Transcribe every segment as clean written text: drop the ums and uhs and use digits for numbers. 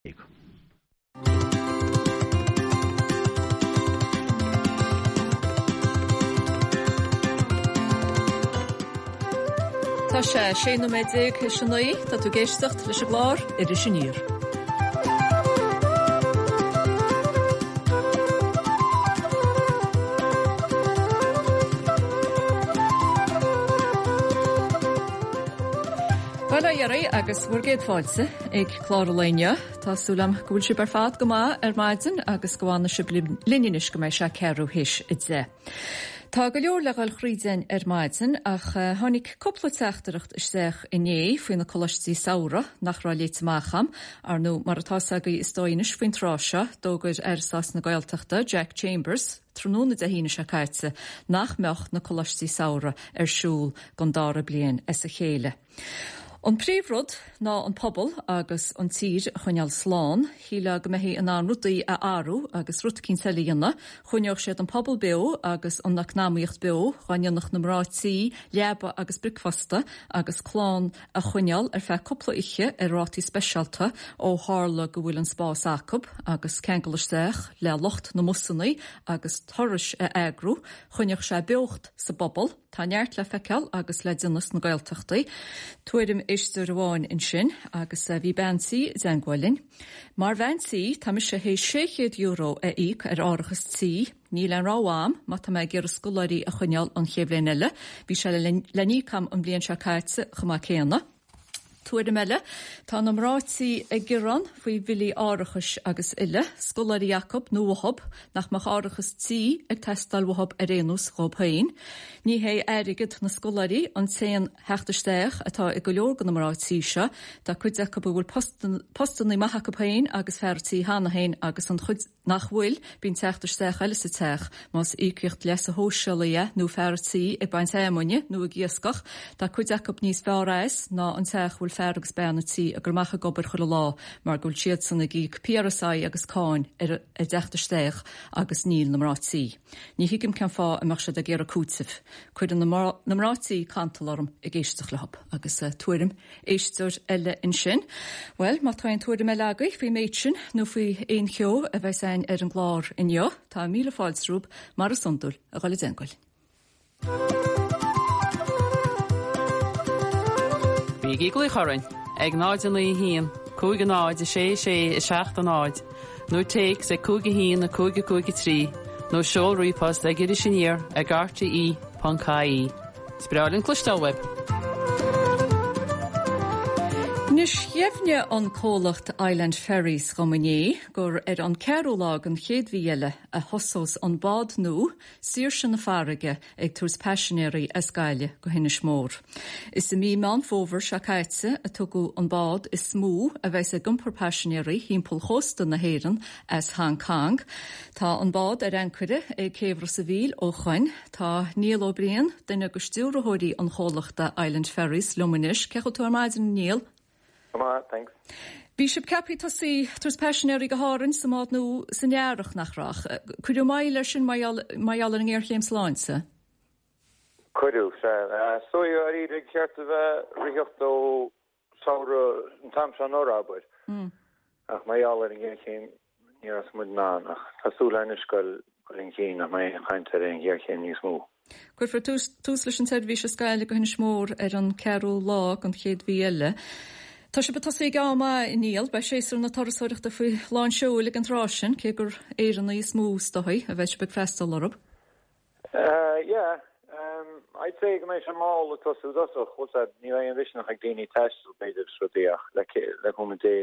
Tá sé 16 nóiméad théis a 9, tá tú ag éisteacht leis an gclár Iris Aniar. Bhuel a dheiridh agus bhur gcéad fáilte ag clár an lae inniu. Tá súil agam go bhfuil sibh ar fad go maith ar maidin agus go bhfanfaidh sibh linn anois go mbeidh sé ceathrú théis 10. Tá go leor le dhul thríd againn ar maidin ach tháinig cúpla teachtaireacht isteach inné faoi na coláistí samhraidh nach raibh léite amach a'm. Ar ndóigh, mar atá 's agaibh is dóigh anois faoin tráth seo, d'fhógair Aire Stáit na Gaeltachta, Jack Chambers, tráthnóna Dé hAoine seo caite nach mbeadh na coláistí samhraidh ar siúl don dara bliain as a chéile. An príomhrud ná an pobal agus an tír a choinneáil slán. Shílfeá go mbeifí in ann rudaí a athrú agus rud eicínt eile a dhéanamh. Choinneodh siad an pobal beo agus an eacnamaíocht beo dá ndéanfadh na mná tí leaba agus bricfeasta agus clann a choinneáil ar feadh cúpla oíche ar rátaí speisialta ó tharla go bhfuil an spás acu agus ceangal isteach le lucht na mbusannaí agus turais a eagrú. Choinneodh sé beocht sa bpobal. Tá neart le feiceáil agus le déanamh sna Gaeltachtaí. Tuairim éisteoir amháin ansin agus bhí bean tí i dteangmháil linn. Mar bhean tí, tá mise théis €600 a íoc ar árachas tí. Níl aon rogha a'm má tá mé ag iarraidh scoláirí a choinneáil an chéad bhliain eile. Bhí sé le n-íoc a'm an bhliain seo caite chomh maith céanna. Tuairim eile, tá na mná tí ag gearán faoi bhillí árachais agus uile, scoláirí acub nó uathub, nach mbeadh árachas tí ag teastáil uathub ar aon nós dhób féin. Ní hé airgead na scoláirí an t-aon theacht isteach atá ag go leor de na mná tí seo, tá cuid acu a bhfuil postannaí maith acu féin agus fear tí cheana féin agus an chuid nach bhfuil, bíonn teacht isteach eile sa teach, más íocaíocht leasa shóisialaigh é nó fear a' tí ag baint fheamainne nó ag iascach, tá cuid acu níos fearr as ná an teach a bhfuil fear agus bean a' tí ag dul amach ag obair chuile lá mar go bhfuil siadsan ag íoc PRSI agus cáin ar a dteacht isteach agus níl na mná tí. Ní thuigim cén fáth a mbeadh siad ag iarraidh cúitimh. Cuireann na mná tí cantal orm ag éisteacht leo agus tuairim éisteoir eile ansin. Bhuel, má tá aon tuairim eile agaibh faoin méid sin nó faoi aon cheo a bheas againn ar an gclár inniu, tá míle fáilte romhaibh, mar is iondúil, a dhul i dteangmháil. Bígí ag glaoch orainn ag 0 9 1 5 0 6 6 7 0 nó téacs ag 5 1 5 5 3 nó seol ríomhphost ag irisaniar ag rte.ie. Is breá linn cloisteáil uaibh! Anois, dheimhnigh an comhlacht Island Ferries dhom inné gur ar an ceathrú lá den chéad mhí eile a thosós an bád nua, Saoirse na Farraige, ag tabhairt paisinéirí as Gaillimh go hInis Mór. Is i mí Meán Fómhair seo caite a tugadh an bád is mó a bheas ag iompar paisinéirí thimpeall chósta na hÉireann as Hong Kong. Tá an bád ar ancaire ag Céibh Ros a' Mhíl ó shoin. Tá Niall Ó Briain, duine de stiúrthóirí an chomhlachta Island Ferries, liom anois. Cén chaoi a bhfuil tú ar maidin, a Niall? Go maith, thanks. Bhí sibh ceaptha tosaí ag tabhairt paisinéirí go hÁrainn sa mbád nua san earrach, nach raibh? Cuireadh moill air sin mar gheall ar an ngéarchéim sláinte? Cuireadh, sea. So, dáiríre, ba cheart a bheith ag ritheacht ó samhradh an t-am seo anuraidh, abair. Ach mar gheall ar an ngéarchéim ní raibh muid in ann. Ach tá súil againn anois goil chun cinn nach mbeidh aon chaint ar aon ghéarchéim níos mó. Cuirfear tús leis an tseirbhís as Gaillimh go hInis Mór ar an 4ú lá den chéad mhí eile. Tá sibh ag tosaí ag am maith, a Niall. Beidh séasúr na turasóireachta faoi lán seoil ag an tráth sin, cé gur Éireannaigh is mó is dóigh a bheidh sibh ag freastal orthu. Yeah, I'd say go mbeidh sé mall ag tosú i dtosach, bhfuil 's a'd, ní bheidh aon mhisneach ag daoine taisteal b'fhéidir is rudaí ach le cúnamh Dé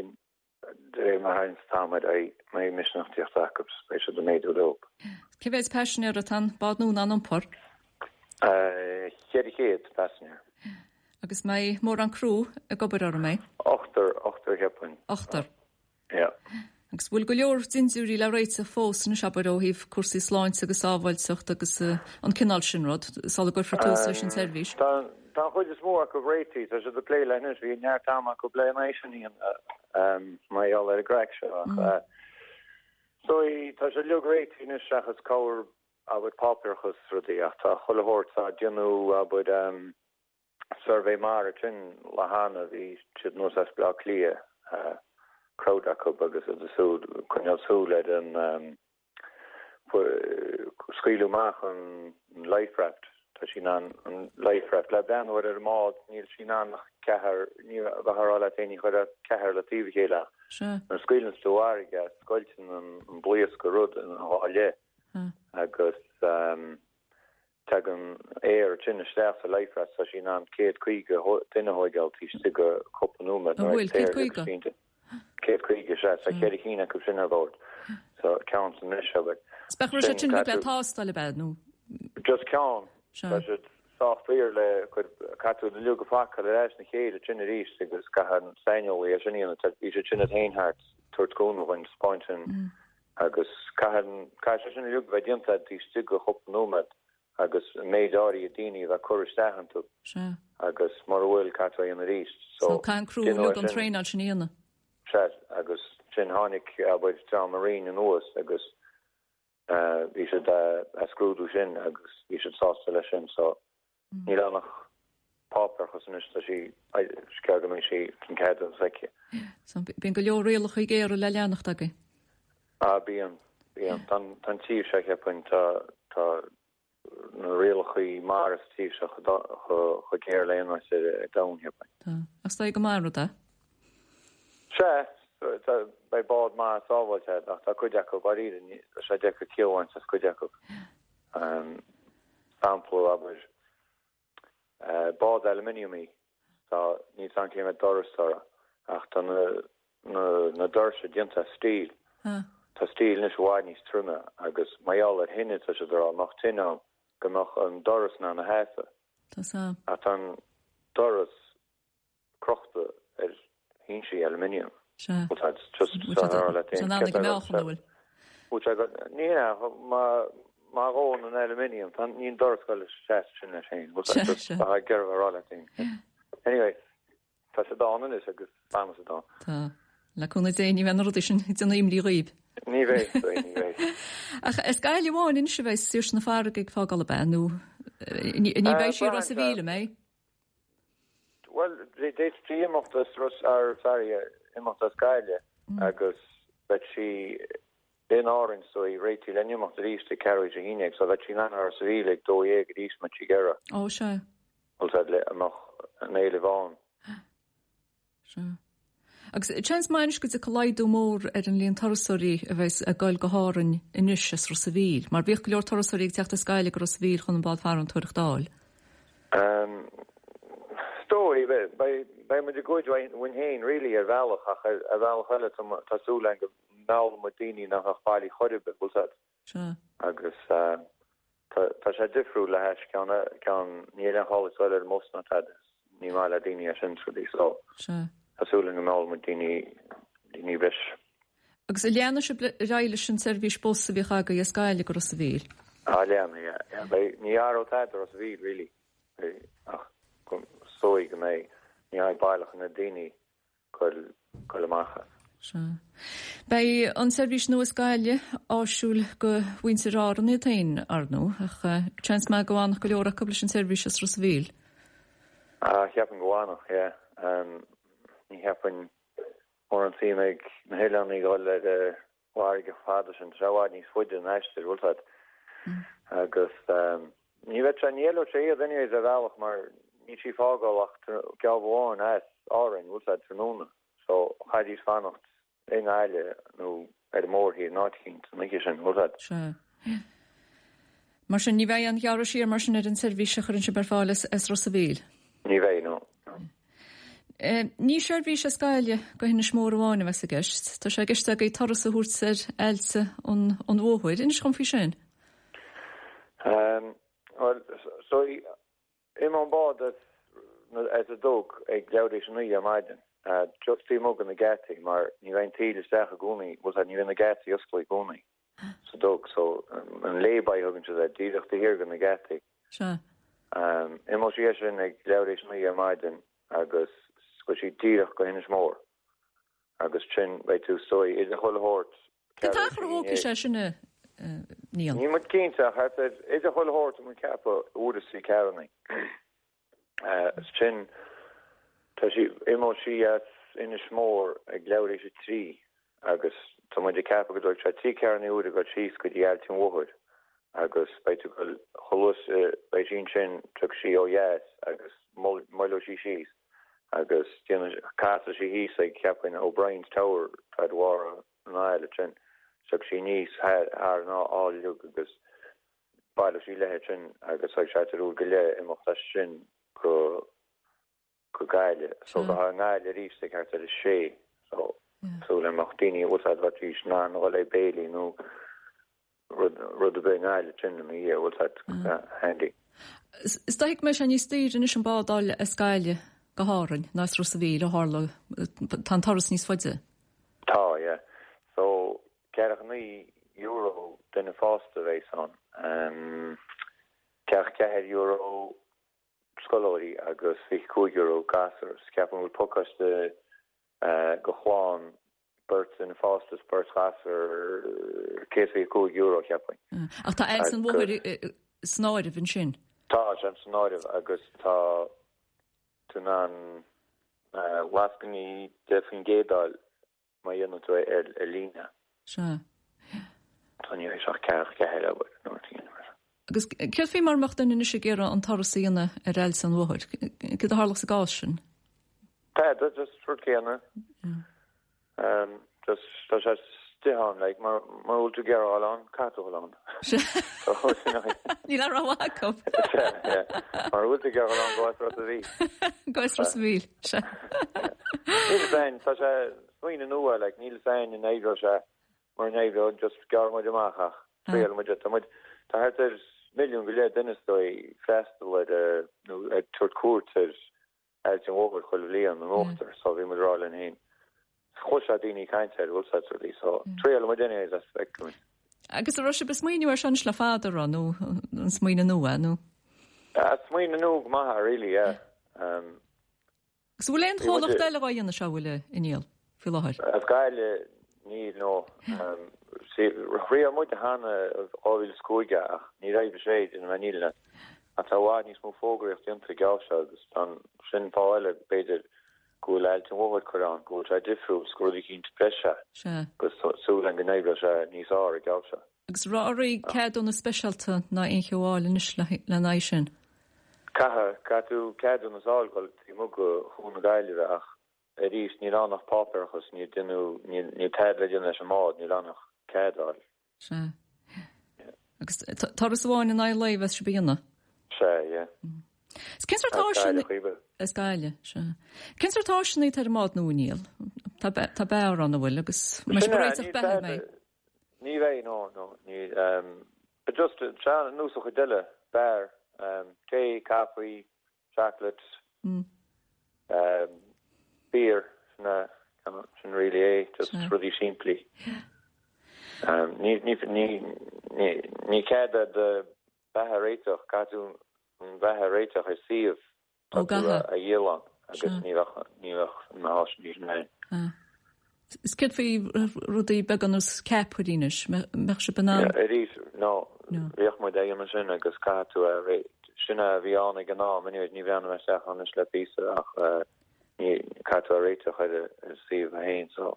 de réir mar a tharraingt an t-am ar aghaidh mbeidh misneach tíocht acu is beidh siad ag méadú leo. Cé mhéad paisinéir atá an bád nua in ann iompar? 400 paisinéir. Agus mbeidh mórán criú ag obair orthu, mbeidh? Ochtar, ochtar cheapfainn. Ochtar. Yeah. Agus bhfuil go leor dindiúirí le réiteach fós anois, abair, ó thaobh cúrsaí sláinte agus sábháilteacht agus an cineál sin rud, sula gcuirfear tús leis an tseirbhís? Tá tá an chuid is mó acu réitithe, tá siad ag plé leis anois, bhí neart ama acu le é sin a dhéanamh mar gheall ar an gcraic seo ach so tá sé uilig réitithe anois seachas corr abair páipéarachas is rudaí ach tá chuile shórt á déanamh abair Suirbhé mara ansin lá cheana, bhí siad anuas as Baile Átha Cliath. crowd acu agus iad ag súil, coinneáil súil ar an scaoileadh amach an life raft. Tá sí in ann an life raft le breathnú air ar an mbád, níl sí in ann ach ceathrar, ní bheifeá ag rá leat féin ní chuirfeá ceathrar le taobh a chéile ach nuair a scaoileanns tú i bhfarraige scoilteann an blaosc an rud ina dhá leith agus Tagann aer tinn isteach sa life raft, tá sí in ann 150 duine a thóigeáil taobh istigh de chúpla nóiméad nuair a bhfuil 150? 150, sea, tá cheithre chinn acu sin ar bord, so ceann san mbreis, abair. Is beadh raibh sé sin le tástáil ab ea, nó? Just ceann. Tá siad sách daor le cur, caithfidh tú iad uilig a phacáil ar ais ina chéile ansin arís agus caithfidh an saineolaí é sin a dhéanamh, bhí siad sin iad féin thart ag tabhairt cúnamh dhúinn, 'spáint sin. Agus caithfidh, caithfidh sé sin uilig a bheith déanta taobh istigh de chúpla nóiméad agus an méid áirithe daoine a bheith curtha isteach iontu. Sea. Agus mura bhfuil, caithfidh tú é a dhéanamh arís. So, So, caithfidh an criú uilig an traenáil sin a dhéanamh. Sea, agus ansin tháinig, abair, dream ón Roinn anuas agus bhí siad a' scrúdú sin agus bhí siad sásta leis sin. So, Níl ann ach páipéarachas anois, tá sí, is gearr go mbeidh sí an ceadúnas aici. So, bíonn go leor rialacha géara le leanacht agaibh. Ah, bíonn, bíonn. Tá an tír seo, cheapfainn, tá, tá na rialacha mara sa tír seo chomh géar le aon áit ar an domhan, cheapfainn. Tá. Ach is dóigh go maith an rud é. Sea, tá, beidh bád maith sábháilte ach tá cuid acu, dáiríre, tá sé deacair ciall a bhaint as cuid acu. Sampla, abair, bád aluminium í, tá, níl 's a'm cé mhéad doras atá uirthi, ach tá na, na, na doirse déanta as steel. Tá steel anois i bhfad níos troime agus mar gheall ar thine, tá siad ag rá, mbeadh tine ann, go mbeadh an doras in ann a sheasamh. Tá 's a'm. Ach tá an doras crochta ar shinsí aluminium. Sea. Bhuel tá just Bhfuil sé ar leat Tá an ag meáchan, an bhfuil? Bhfuil sé go ní hea má má dhóann an aluminium tá níl an doras ag goil seasamh sin leis féin. Bhfuil sé just tá ag iarraidh a rá leat féin. Anyway, tá siad ann anois agus fanfaidh siad ann. Tá. Le cúnamh Dé ní bheidh na rudaí sin ag déanamh imní dhaoibh. Ní bheidh, ní bheidh. Ach as Gaillimh amháin anois a bheidh Saoirse na Farraige ag fágáil ab ea nó ní bheidh sí i Ros a' Mhíl, an mbeidh? Bhuel, d'fhéadfaí imeacht as Ros, ar, sorry, imeacht as Gaillimh agus beidh sí in Árainn so í réitithe le n-imeacht arís ag ceathrú théis a haon déag so bheadh sí in ann Ros a' Mhíl ag 12 arís má tá sí ag iarraidh. Ó, sea. Bhuel, tá le, an mbeadh an éileamh ann. Sea. Agus seans maith anois go dtiocfaidh laghdú mór ar an líon turasóirí a bheas ag goil go hÁrainn anois as Ros a' Mhíl, mar bhíodh go leor turasóirí ag teacht as Gaillimh go Ros a' Mhíl chun an bád farantóireachta a fháil. Is dóigh, beidh muid ag goid uainn féin really ar bhealach ach ar bhealach eile tá súil againn go meallfaidh muid daoine nach mbeadh bailí chor ar bith, bhfuil 's a'd. Sea. Agus tá sé difriúil le hais ceann, ceann, níl aon chall ag dul ar an mbus ná tada, ní maith le daoine é sin is rudaí so Sea. tá súil againn go meallfaidh muid daoine, daoine breise. Agus an leanfaidh sibh ar aghaidh leis an tseirbhís bus a bhíodh agaibh as Gaillimh go Ros a' Mhíl? Ah leanfaidh, yeah, yeah. Beidh, ní athróidh tada i Ros a' Mhíl really, ach go, is dóigh go mbeidh, ní bheidh baileach na daoine goil amach as. Sea. Beidh an tseirbhís nua as Gaillimh áisiúil do mhuintir Árann iad féin, ar ndóigh, ach seans maith go bhfanfadh go leor acu leis an tseirbhís as Ros a' Mhíl. Ah, cheapfainn go bhfanfadh, yeah. Ní cheapfainn mórán suim ag na hoileánaigh dhul ar an bhfarraige chomh fada sin, tá sé i bhfad níos faide an aistear, bhfuil 's a'd. Agus ní bheadh sé, ní éileodh sé iad anyways ar bhealach mar níl sí ag fágáil ach geábh amháin as Árainn, bhfuil 's a'd, tráthnóna. So chaithfidís fanacht i nGaillimh nó ar an mórthír in áit eicínt an oíche sin, bhfuil 's a'd. Sea. Mar sin, ní bheidh aon ghearradh siar mar sin ar an tseirbhís a chuireann sibh ar fáil as Ros a' Mhíl? Ní bheidh, no. Ní seirbhís as Gaillimh go hInis Mór amháin a bheas i gceist. Tá sé i gceist agaibh turas a thabhairt ar aillte an Mhóthair. Inis dhom faoi sin. Bhuel, so imeoidh an bád as an dug ag leathuair théis a naoi ar maidin, just taobh amuigh de na geataí mar ní bheidh an taoille isteach i gcónaí, bhfuil 's a'd, ní bhíonn na geataí oscailte i gcónaí sa dug, so an lay-by a thugann siad air, díreach taobh thiar de na geataí. Sea. Imeoidh sí as sin ag leathuair théis a naoi ar maidin agus gabhfaidh sí díreach go hInis Mór agus sin beidh tú is dóigh idir chuile shórt Cén t-achar a thógfaidh sé sin a Niall? Níl muid cinnte ach thart ar idir chuile shórt tá muid ag ceapadh uair is trí ceathramhnaí. Sin tá sí imeoidh sí as. Inis Mór ag leathuair théis 3 agus tá muid ag ceapadh go dtógfaidh sé 3 ceathrúna uaire ag dul síos go dtí Ailt an Mhothair agus beidh tú ag dul chomh luath is beidh sí ansin tiocfaidh sí ó dheas agus moilleoidh sí síos agus déanfaidh casfaidh sí thíos ag cheapfainn O'Brien's Tower atá ar bharr an aill ansin tiocfaidh sí aníos thar an aill agus baileoidh sí léi ansin agus beidh sé thart ar uair go leith imeacht as sin go go Gaillimh. So bheifeá i nGaillimh arís ag thart ar a sé. So súil agam go mbeadh daoine bhfuil a fhios a'd bheidís in ann a dhul ag béilí nó rud rud ar bith i nGaillimh sin ina dhiaidh bhfuil a fhios a'd handy. Is dóigh go mbeidh sé níos daoire anois an bád a fháil as Gaillimh go hÁrainn ná as Ros a' Mhíl ó tharla tá an turas níos faide. Tá, yeah. So €49 duine fásta a bheas ann. Um, €44 scoláirí agus €25 gasúir. Ceapaim go bhfuil pacáiste do chlann, beirt duine fásta is beirt ghasúr, €125 cheapfainn. Ach tá Ailt an Mhothair san áireamh ansin? Tá sé san áireamh agus tá tú in ann lascainí 10% a fháil. Má dhéanann tú é ar líne. Sea. Tá ní bheidh sé ach 44 abair nó rud éigin mar sin. Agus céard faoi mura mbeadh duine anois ag iarraidh an turas a dhéanamh ar Ailt an Mhothair? Céard a tharlódh sa gcás sin? Tá, just rud céanna. Just tá sé istigh ann, like, mura bhfuil tú ag iarraidh a dhul ann, caithfidh tú a dhul ann. Níl aon rogha acu. Sea, yeah. Mura bhfuil tú ag iarraidh a dhul ann, gabh as Ros a' Mhíl. Gabh as Ros a' Mhíl, sea. Níl fhios a'inn, tá sé smaoineamh nua, like, níl fhios a'inn an oibreoidh sé, mura n-oibreoidh, just gearrfaidh muid amach ach triailfidh muid é. Tá muid, tá thart ar milliún go leith duine is dóigh ag freastal ar, nó ag tabhairt cuairt ar Ailt an Mhothair chuile bhliain in uachtar, so bhí muid ag rá linn féin, chloisfeá daoine ag caint air, bhfuil fhios a'd rudaí, so triailfidh muid anyways as feicfidh muid. Agus an raibh sibh ag smaoineamh air seo anois le fada, an raibh, nó an smaoineamh nua, nó? Smaoineamh nua go maith, really, yeah. Agus an bhfuil aon chomhlacht eile dhá dhéanamh seo, an bhfuil, a Niall, faoi láthair? As Gaillimh, níl, no. Thriail muid cheana i 2005 ach níor oibrigh sé, déanfaidh mé an fhírinne leat. Ach tá i bhfad níos mó fógraíocht déanta ag geábh seo agus tá sin fáth eile, b'fhéidir, go bhfuil Ailt an Mhothair curtha ann, go bhfuil sé difriúil 's gur rud eicínt breise agus súil againn go n-oibreoidh sé níos fhearr ag geábh seo. Agus an raibh oraibh ceadúnas speisialta ná aon cheo a fháil anois lena aghaidh sin? Caithfidh, caithfidh tú ceadúnas a fháil dhul taobh amuigh de Chuan na Gaillimhe ach arís níl ann ach páipéarachas, níl déanamh, níl, níl tada le déanamh leis an mbád, níl ann ach cead a fháil. Sea. Agus turas amháin in aghaidh an lae a bheas sibh a dhéanamh? Sea, yeah. Is cén sórt áiseanna... As Gaillimh, sea. Cén sórt áiseanna atá ar an mbád nua, Niall? Tá, tá beár ann, an bhfuil, agus mbeidh sibh ag réiteach beatha, an mbeidh? Ní bheidh, no, no, ní, but just, sea, ar nós an chuid eile, beár, tae, caife, chocolate, beer, sin é, sin really é, just rudaí simplí. Ní, ní, ní, ní, ní cead do bheatha a réiteach, caithfidh tú an bheatha a réiteach ar suíomh Ó, Tá tú a dhíol ann agus ní bheadh, ní bheadh na háiseanna sin ann. Is céard faoi rudaí beaga ar nós ceapairí anois, mbeadh sibh in ann? Arís, no, bhíodh muid á dhéanamh sin agus caithfidh tú a, sin a bhí ann ag an am, anyways, ní bhreathnaigh mé isteach ann anois le píosa ach ní, caithfidh tú a réiteach ar an suíomh féin, so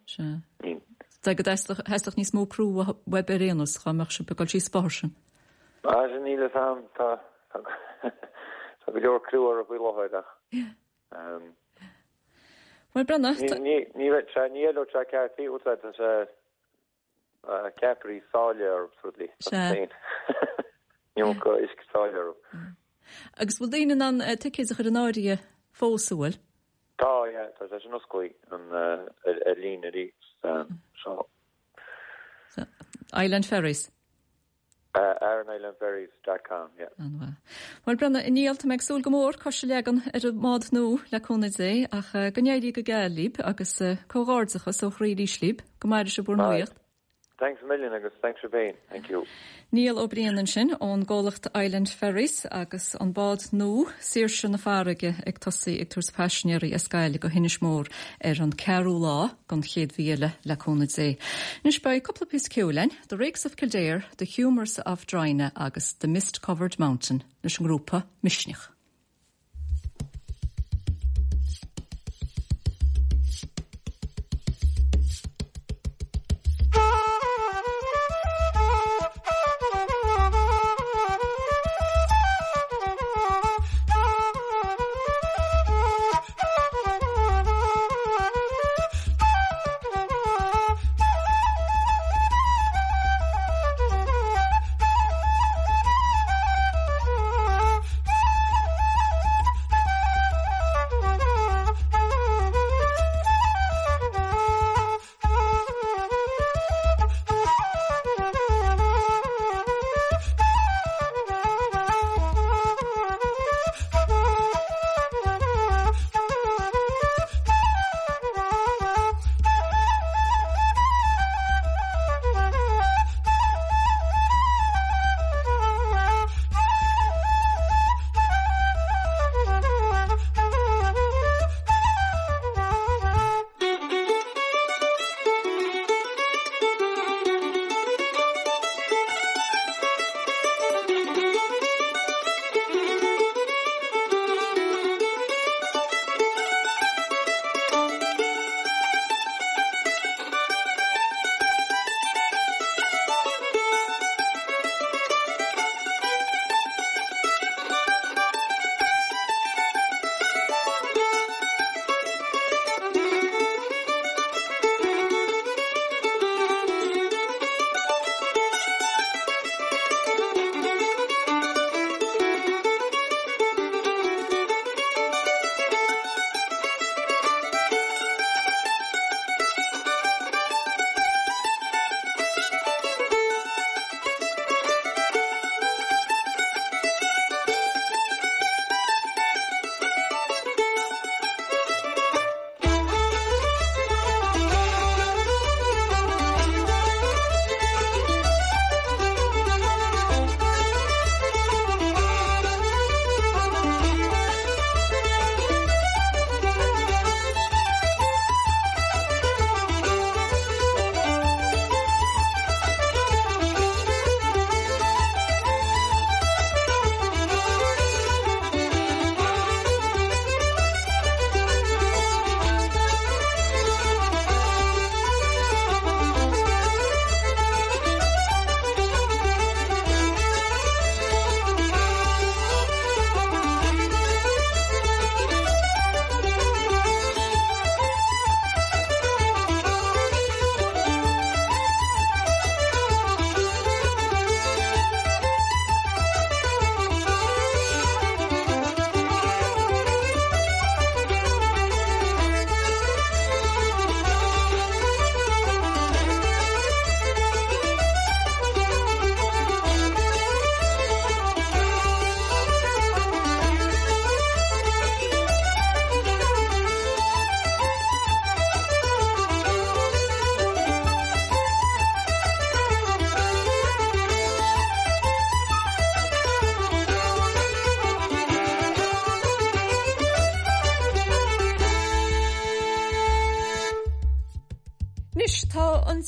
ní. Sea, go dteastódh níos mó criú uaibh ar aon nós, dhá mbeadh sibh ag dul síos an bóthar sin. Ah, sin níl fhios a'm, tá, tá go leor criú orthu faoi láthair ach, ehm. Bhuel, Brenda, tá. Ní, ní, ní, sea, ní éileodh sé ceart í, úsáid tá sé ceapairí sáile orthu is rudaí, tá sé féin. Ní ionca uisce sáile orthu. Agus bhfuil daoine in ann ticéid a chur in áirithe fós, an bhfuil? Tá, yeah, tá sé sin oscailte an, ar, ar líne arís, so. Island Ferries. AranIslandFerries dot com, yeah. An-mhaith. Bhuel, Brenda, a Niall, tá mé ag súil go mór cos a leagan ar an mbád nua le cúnamh Dé, ach go n-éirí go geal libh agus comhghairdeachas ó chroí arís libh. Go maire sibh bhur nuaíocht. Thanks a million agus thanks sibh féin. Thank you. Niall Ó Briain ansin ón gcomhlacht Island Ferries agus an bád nua, Saoirse na Farraige, ag tosaí ag tabhairt paisinéirí as Gaillimh go hInis Mór ar an ceathrú lá den chéad mhí eile le cúnamh Dé. Anois beidh cúpla píosa ceoil againn. The Rakes of Kildare, The Humours of Drina agus The Mist Covered Mountain leis an ngrúpa Misneach.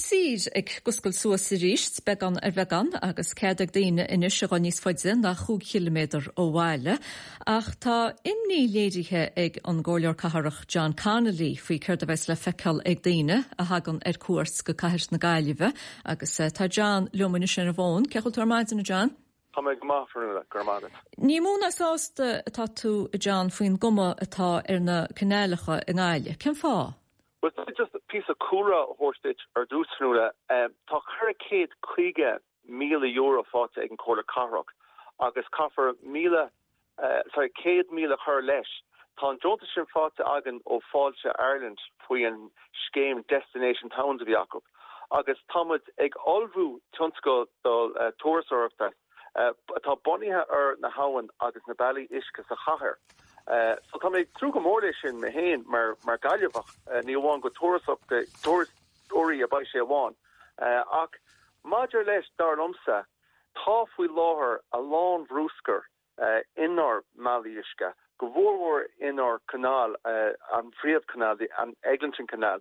tír ag oscailt suas arís, beagán ar bheagán, agus cead ag daoine anois a dhul níos faide ná chúig chiliméadar ó bhaile. Ach tá imní léirithe ag an gComhairleoir Cathrach John Connolly faoi céard a bheas le feiceáil ag daoine a thagann ar cuairt go cathair na Gaillimhe. Agus tá John liom anois ar an bhfón. Cén chaoi a bhfuil tú ar maidin, a John? Tá mé go maith, Fionnuala, go raibh maith agat. Ní mó ná sásta atá tú, a John, faoin gcuma atá ar na canálacha i nGaillimh. Cén fáth? Bhuel, just píosa cúlra a thabhairt duit ar dtús, Fionnuala. Tá €450,000 faighte ag an Chomhairle Cathrach agus caithfear míle, sorry, 100,000 a chur leis. Tá an deontas sin faighte againn ó Fáilte Ireland faoi an scéim Destination Towns a bhí acu agus tá muid ag ullmhú tionscadal turasóireachta atá bunaithe ar na habhann agus na bealaí uisce sa chathair. So tá mé ag tnúth go mór leis sin mé féin mar mar Gaillimheach, ní amháin go turasóirí a beidh sé amháin ach maidir leis dar liomsa tá faoi láthair a lán bhrúscair inár mbealaí uisce, go mhórmhór inár canal, an phríomhchanáil, an Eglinton Canal,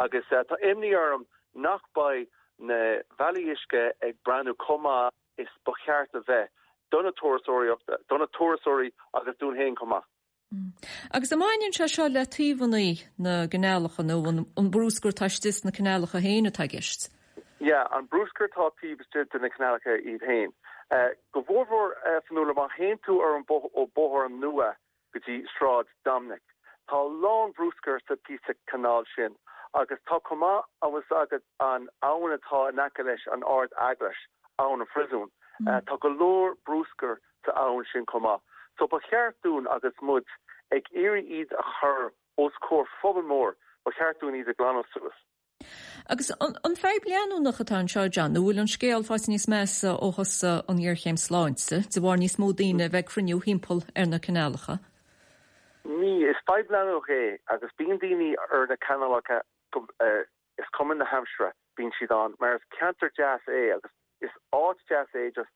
agus tá imní orm nach beidh na bealaí uisce ag breathnú chomh maith is ba cheart a bheith do na turasóireachta, do na turasóirí agus dúinn féin chomh maith. Agus an mbaineann sé seo le taobhanna na gcanálacha nó an brúscar atá istigh sna canálacha féin atá i gceist? Yeah, an brúscar atá taobh istigh de na canálacha iad féin. Go mhórmhór, Fionnuala, má théann tú ar an ó Bóthar Nua go dtí Sráid Dominic, tá a lán brúscair sa píosa canáil sin agus tá chomh maith, an bhfuil fhios agat an abhainn atá in aice leis an Ard Eaglais, Abhainn an Phríosúin, tá go leor brúscair sa abhainn sin chomh maith. So ba cheart dúinn agus muid ag iarraidh iad a chur os comhair phobal mór, ba cheart dúinn iad a ghlanadh suas. Agus an fadhb leanúnach atá anseo, John, nó bhfuil an scéal faighte níos measa ó thosaigh an ghéarchéim sláinte, de bharr níos mó daoine a bheith ag cruinniú thimpeall ar na canálacha? Ní, is fadhb leanúnach é agus bíonn daoine ar na canálacha go, is cuma na haimsire, bíonn siad ann mar is ceantar deas é agus is áit deas é just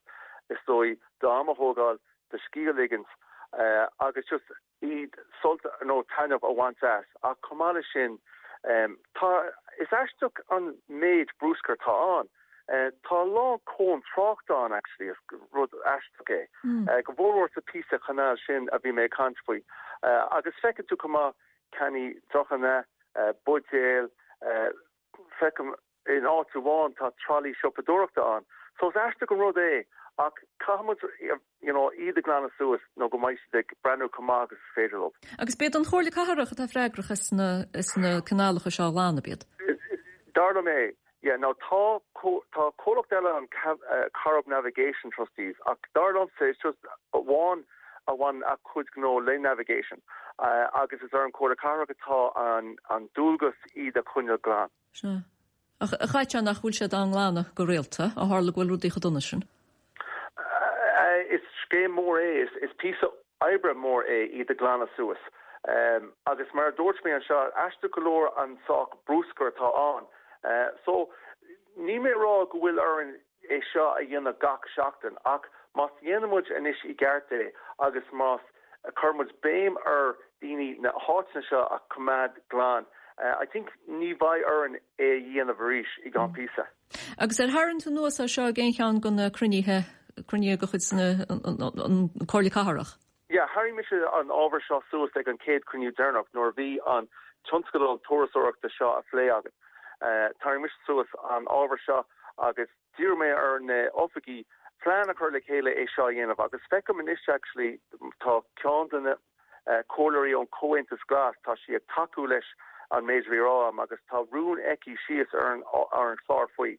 is dóigh d'am a thógáil, do scíth a ligint agus just iad sult nó taitneamh a bhaint as. Ach chomh maith leis sin tá, is aisteach an méid brúscair atá ann. Tá a lán cóin tráchta ann actually, is rud aisteach é. Go mhórmhór sa píosa chanáil sin a bhí mé ag caint faoi. Agus feiceann tú chomh maith cannaí deochanna, buidéil, feicim in áit amháin tá tralaí siopadóireachta ann. So is aisteach an rud é ach caithfidh muid you know iad a ghlanadh suas nó go mbeidh siad ag breathnú chomh maith agus is féidir leo. Agus b'iad an Chomhairle Cathrach atá freagrach as na as na canálacha seo a ghlanadh, b'iad? Dar liom é. Yeah, now tá tá comhlacht eile an Corrib Navigation Trustees ach dar liomsa it's just amháin a bhaineann a cuid gnó le navigation agus is ar an Chomhairle Cathrach atá an an dualgas iad a choinneáil glan. Sea. Ach a John nach bhfuil siad á nglanadh go rialta, ó tharla go bhfuil rudaí chomh dona sin? Is scéim mór é, is píosa oibre mór é iad a ghlanadh suas. Agus mar a dúirt mé anseo, aisteach go leor an sách brúscair atá ann. So, níl mé ag rá go bhfuil orainn é seo a dhéanamh gach seachtain ach más dhéanann muid anois i gceart é agus más chuir muid béim ar daoine na háiteanna seo a choimeád glan, I think ní bheidh orainn é a dhéanamh arís i gceann píosa. Agus ar tharraing tú anuas é seo ag aon cheann de na cruinnithe, cruinnithe de chuid na, an Comhairle Cathrach? Yeah, tharraing mise an ábhar seo suas ag an chéad cruinniú deireanach nuair a bhí an tionscadal turasóireachta seo á phlé againn. Tharraing mise suas an ábhar seo agus d'iarr mé ar na oifigí plean a chur le chéile é seo a dhéanamh agus feicim anois actually tá ceann de na comhairleoirí ón Chomhaontas Glas, tá sí ag tacú leis an méid a bhí á rá agam agus tá rún aici síos ar an chlár faoi.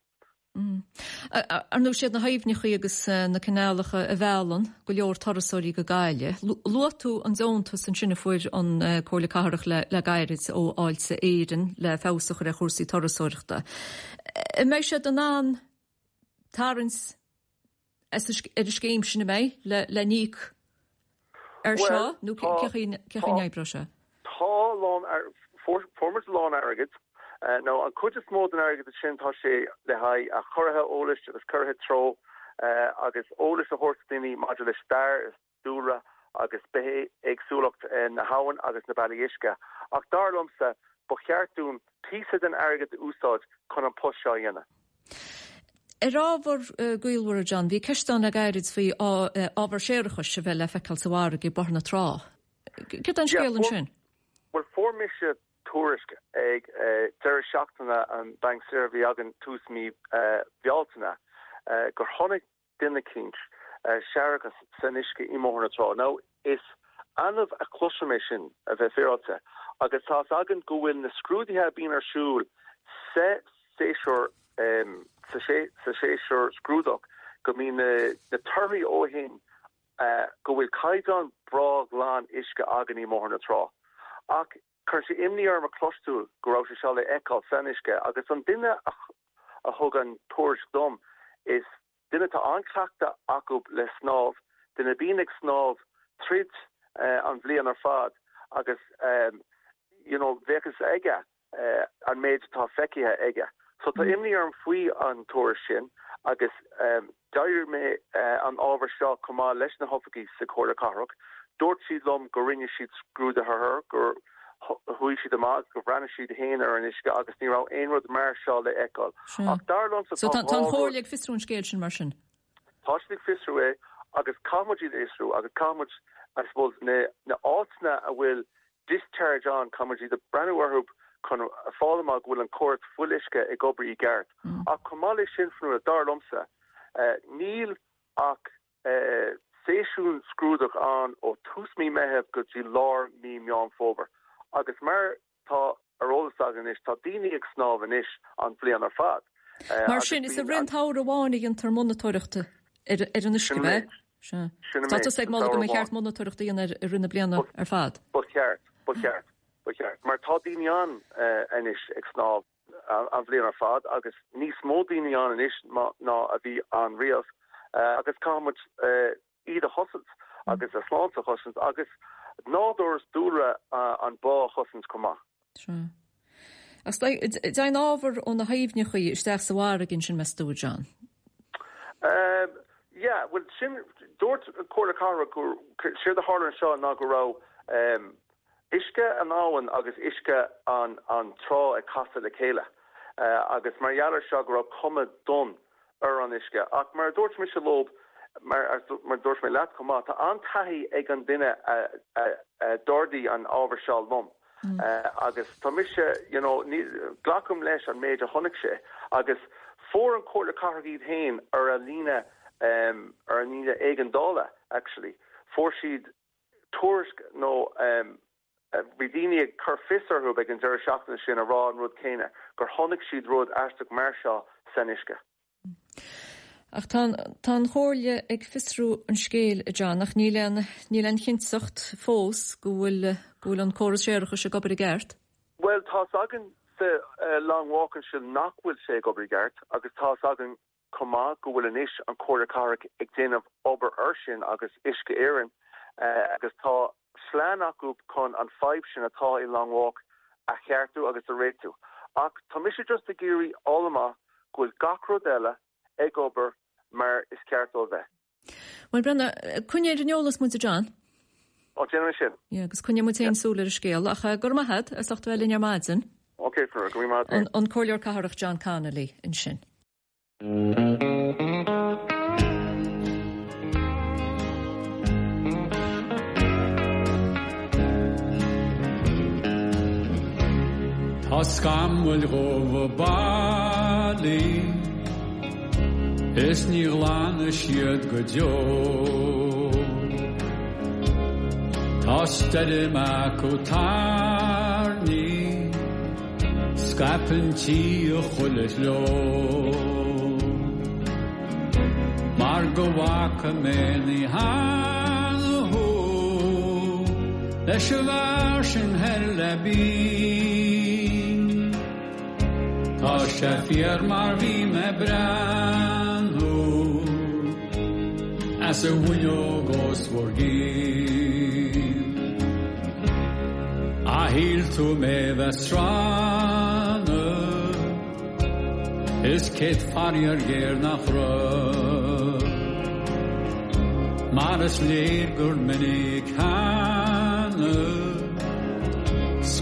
Ar ndóigh, siad na haibhneacha agus na canálacha a mheallann go leor turasóirí go Gaillimh. Luaigh tú an deontas ansin a fuair an Comhairle Cathrach le gairid ó Fháilte Éireann le feabhas a chur ar chúrsaí turasóireachta. An mbeidh siad in ann tarraingt ar an scéim sin, an mbeidh, le n-íoc ar seo nó cén chaoi a n-oibreoidh sé? Tá a lán, fuair muid a lán airgid. Nó an chuid is mó den airgead sin tá sé le haghaidh chóirithe eolais agus cóirithe treo agus eolas a thabhairt do daoine maidir le stair is dúlra agus bithéagsúlacht na habhann agus na bealaí uisce. Ach dar liomsa. Ba cheart dúinn píosa den airgead a úsáid chun an post seo a dhéanamh. Ar ábhar gaolmhar, a John, bhí ceist ann le gairid faoi ábhar séarachais a bheith le feiceáil sa bhfarraige ag Bóthar na Trá. Céard é an scéal ansin? Bhuel, fuair mise tuairisc ag deireadh seachtaine an banc saoire a bhí againn tús mí Bealtaine gur chonaic duine eicínt séarachas san uisce i mBóthar na Trá. Now, is annamh a chloisim é sin, a bheith féaráilte, agus tá's againn go bhfuil na scrúduithe a bíonn ar siúl sa séasúr, sa séasúr scrúdach, go mbíonn na torthaí ó shin go bhfuil caighdeán breá glan uisce againn i mBóthar na Trá. Ach chuir sé imní orm a chloisteáil go raibh sé seo le feiceáil san uisce agus an duine a thug an tuairisc dom, is duine atá an-cleachtadh acu le snámh, duine a bíonn ag snámh tríd an bhliain ar fad agus you know bheadh fhios aige an méid atá feicthe aige. So tá imní orm faoi an tuairisc sin agus d'éirigh mé an ábhar seo chomh maith leis na hoifigigh sa Chomhairle Cathrach. Dúirt siad liom go rinne siad scrúduithe air, gur chuaigh siad amach agus gur bhreathnaigh siad féin ar an uisce agus ní raibh aon rud mar seo le feiceáil. Ach dar liomsa tá dhá rud. So tá an Chomhairle ag fiosrú an scéil sin mar sin? Tá siad ag fiosrú é agus caithfidh muid iad a fhiosrú agus caithfidh muid, I suppose, na áiteanna a bhfuil discharge ann, caithfidh muid iad a breathnú orthu chun fáil amach go bhfuil an córas fuíolluisce ag obair i gceart. Ach chomh maith leis sin, Fionnuala, dar liomsa, níl ach séasún scrúdach ann ó tús mí Meitheamh go dtí lár mí Meán Fómhair agus mar tá ar eolas againn anois, tá daoine ag snámh anois an bhliain ar fad. Mar sin, is i rith an tsamhraidh amháin a dhéantar monatóireacht ar an uisce, ab ea? Sea. Tá tusa ag moladh go mba cheart monatóireacht a dhéanamh i rith na bliana ar fad. Ba cheart, ba cheart, ba cheart. Mar tá daoine ann anois ag snámh an bhliain ar fad agus níos mó daoine ann anois ná a bhí ann riamh agus caithfidh muid iad a chosaint agus a sláinte a chosaint agus nádúr is dúlra an bá a chosaint chomh maith. Sea. Ach dtéann ábhar ó na haibhneacha isteach sa bhfarraige ansin, meas tú, a John? Yeah, bhuel sin, dúirt Comhairle Cathrach gur, séard a tharla anseo ná go raibh uisce an abhainn agus uisce an an trá ag casadh le chéile agus mar gheall ar seo go raibh cuma donn ar an uisce. Ach mar a dúirt mise leob, mar a dúirt mé leat chomh maith, tá an-taithí ag an duine a d'ardaigh an ábhar seo liom agus tá mise, you know, ní, glacaim leis an méid a chonaic sé agus fuair an Chomhairle Cathrach iad féin ar a líne, ar an líne éigeandála actually, fuair siad tuairisc nó Bhí daoine ag cur fios orthu ag an deireadh seachtaine sin a rá an rud céanna, gur chonaic siad rud aisteach mar seo san uisce. Ach tá tá an Chomhairle ag fiosrú an scéil, a John, ach níl aon níl aon chinnteacht fós go bhfuil go bhfuil an córas séarachais ag obair i gceart. Bhuel, tá's againn sa Long Walk ansin nach bhfuil sé ag obair i gceart agus tá's againn chomh maith go bhfuil anois an Chomhairle Cathrach ag déanamh obair air sin agus Uisce Éireann agus tá plean acu chun an fadhb sin atá i Long Walk a cheartú agus a réitiú. Ach tá mise just ag iarraidh fháil amach go bhfuil gach rud eile ag obair mar is ceart dó a bheith. Bhuel, breathnaigh, coinnigh ar an eolas muid, a John. Ó, déanfaidh mé sin. Yeah, agus coinneoidh muid féin súil ar an scéal. Ach go raibh maith agat as ucht a bheith linn ar maidin. Ok, go raibh maith agat. An Comhairleoir Cathrach John Connolly ansin. Tá scamaill dhubha bailithe. Is ní ghlanfaidh siad go deo. Tá stoirm acu tairní, scaipeann sí i chuile threo. Mar go bhfaca mé ní cheana thú leis an bhfear sin thoir le Binn. Tá sé fíor mar bhí mé breathnú as an bhfuinneog os bhur gcionn. A shíl tú mé bheith srannadh is céad faraor géar nach raibh. Mar is léir gur minic cheana.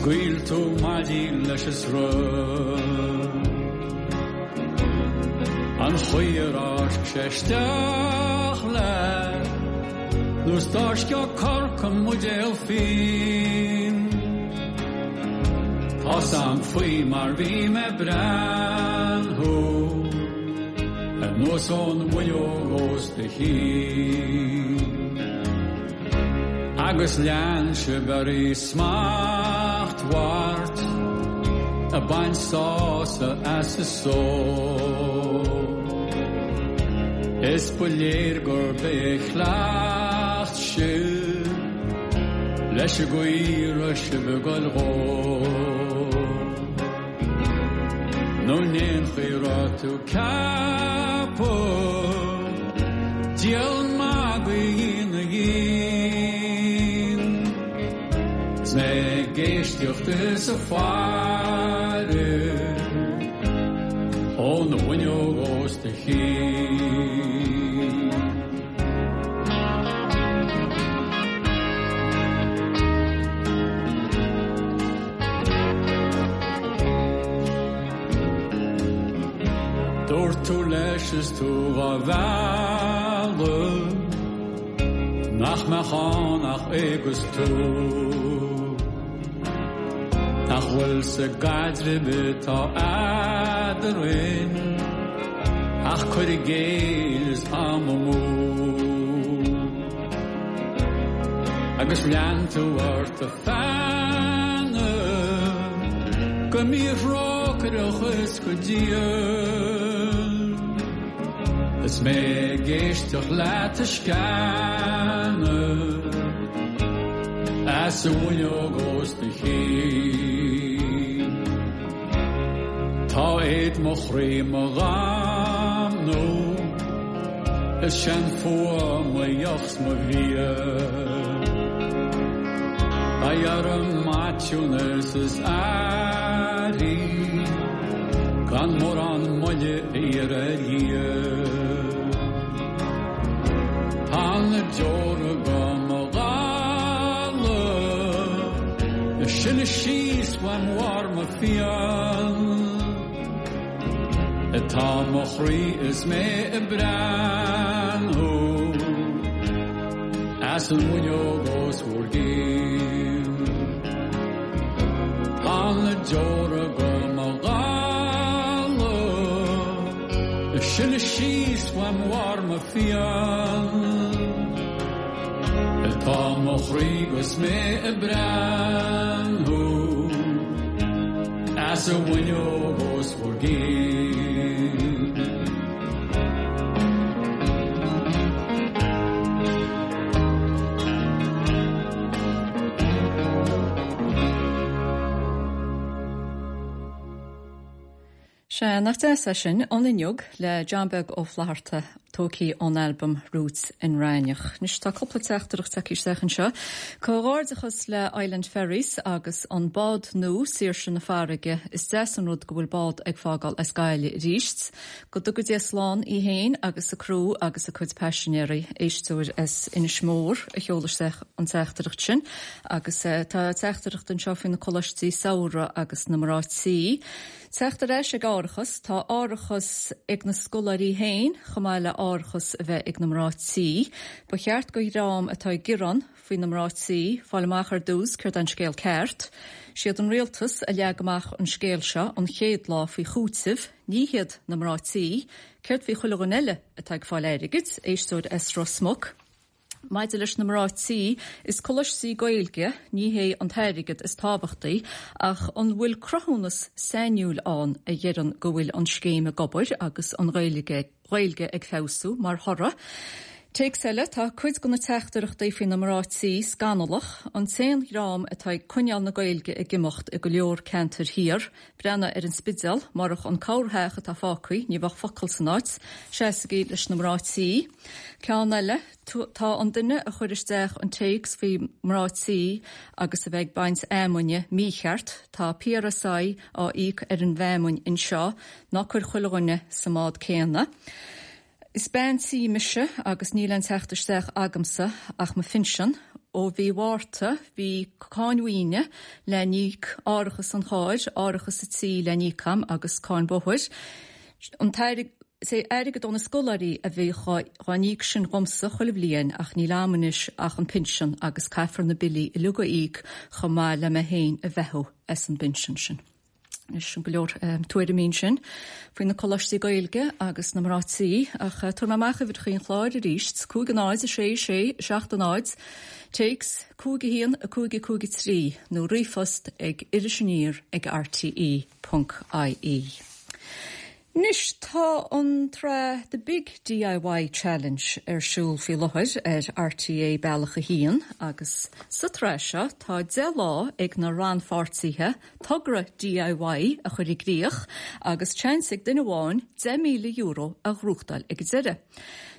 Scaoil tú maidí leis an sruth. An chaoi ar fháisc sé isteach leat Nó is d'fháiscfeadh corc i mbuidéal fíon. Tá's a'm faoi mar bhí mé ag breathnú Anuas ón bhfuinneog os do chionn. Agus lean sibh oraibh smachtbhart ag baint sásamh as an só. Is ba léir gurb é a chleacht sibh leis an gcaoi a raibh sibh ag goil dhó. Nó in aon chaoi a raibh tú ceaptha Díol magaidh a dhéanamh dhínn 'S mé ag éisteacht is ag faire Ón bhfuinneog os do chionn. Dúirt tú leis is tú dhá mhealladh Nach mbeadh ann ach é 'gus tú Nach bhfuil sa gcaidreamh atá eadrainn Ach cur i gcéill is am amú Agus lean tú ort ag feannadh Go míthrócaireach is go diail Is mé ag éisteacht leat ag sceanadh As an bhfuinneog os do chionn Tá éad mo chroí mo dhamnú Is seanfhuath mo dheoch 's mo bhia. Beidh orm maithiúnas is aithrí Gan mórán moille a iarraidh ar Dhia. Tá na deora go mo dhalladh Ag sileadh síos uaim bharr mo phian. Atá mo chroí is mé ag breathnú As an bhfuinneog os bhur gcionn. Tá na deora go mo dhalladh Ag sileadh síos uaim bharr mo phian. Atá mo chroí 'gus mé ag breathnú As an bhfuinneog os bhur gcionn. Sea, nach deas é sin, An Fhuinneog le John Beag Ó Flatharta, tógtha ón albam Roots in Raineach. Anois tá cúpla teachtaireacht tagtha isteach anseo. Comhghairdeachas le Island Ferries agus an bád nua, Saoirse na Farraige. Is deas an rud go bhfuil bád ag fágáil as Gaillimh arís. Go dtuga Dia slán í féin agus a criú agus a cuid paisinéirí. Éisteoir as Inis Mór a sheol isteach an teachtaireacht sin. Agus tá teachtaireacht anseo faoi na coláistí samhraidh agus na mná tí. Teacht ar ais ag árachas, tá árachas ag na scoláirí féin chomh maith le árachas a bheith ag na mná tí. Ba cheart do dhream atá ag gearán faoi na mná tí fáil amach ar dtús céard é an scéal ceart. Siad an rialtas a leag amach an scéal seo an chéad lá faoi chúiteamh, ní hiad na mná tí. Céard faoi chuile dhuine eile atá ag fáil airgid? Éisteoir as Ros Muc. Maidir leis na mná tí, is coláistí Gaeilge, ní hé an t-airgead is tábhachtaí, ach an bhfuil cruthúnas sainiúil ann a dheireann go bhfuil an scéim ag obair agus an Ghaeilge Ghaeilge ag feabhsú mar thoradh? Téacs eile, tá cuid de na teachtaireachtaí faoi na mná tí scannalach, an t-aon dhream atá ag coinneáil na Gaeilge ag imeacht i go leor ceantair thiar, Breathnaigh ar an Spidéal, murach an corrtheach atá fágtha, ní bheadh focal san áit. Seasaigí leis na mná tí. Ceann eile, tá an duine a chuir isteach an téacs faoi mná tí agus a bheith ag baint fheamainne mícheart. Tá PRSI á íoc ar an bhfeamainn anseo. Ná cuir chuile dhuine sa mbád céanna. Is bean tí mise agus níl aon teacht isteach agamsa ach mo phinsean. Ó mhí Mhárta bhí cáin mhaoine le n-íoc, árachas an chairr, árachas an tí le n-íoc a'm agus cáin bhóthair. An t-airgead, is é airgead ó na scoláirí a bhíodh dhá n-íoc sin dhomsa chuile bhliain ach níl a'm anois ach an pinsean agus caithfear na billí uilig a íoc chomh maith le mé féin a bheathú as an bpinsean sin. Anois, sin go leor tuairimí ansin faoi na coláistí Gaeilge agus na mná tí, ach tabharfaidh mé amach uimhreacha an chláir arís, 5 0 6 6 7 0, téacs 5 1 5 5 3 nó ríomhphost ag irisaniar ag rte ponc ie. Anois, tá an tsraith The Big DIY Challenge ar siúl faoi láthair ar RTÉ Bealach 1 agus sa tsraith seo tá 10 lá ag na rannpháirtithe togra DIY a chur i gcrích agus seans ag duine amháin €10,000 a ghnóthachtáil ag an deireadh.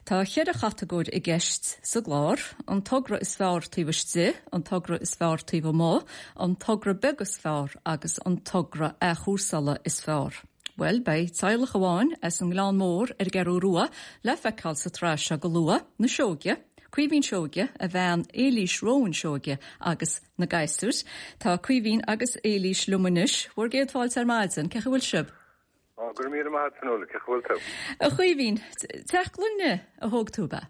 Tá cheithre chatagóir i gceist sa gclár, an togra is fearr taobh istigh, an togra is fearr taobh amuigh, an togra beag is fearr agus an togra athchúrsála is fearr. Bhuel, beidh teaghlach amháin as an nGleann Mór ar an gCeathrú Rua le feiceáil sa tsraith seo go luath, na Seoige, Caoimhín Seoige, a bhean Éilís Rowan Seoige agus na gasúir. Tá Caoimhín agus Éilís liom anois. Bhur gcéad fáilte ar maidin. Cén chaoi a bhfuil sibh? Ó, go raibh míle maith agat, Fionnuala. Cén chaoi a bhfuil tú? A Chaoimhín, teach gloine a thóg tú, ab ea?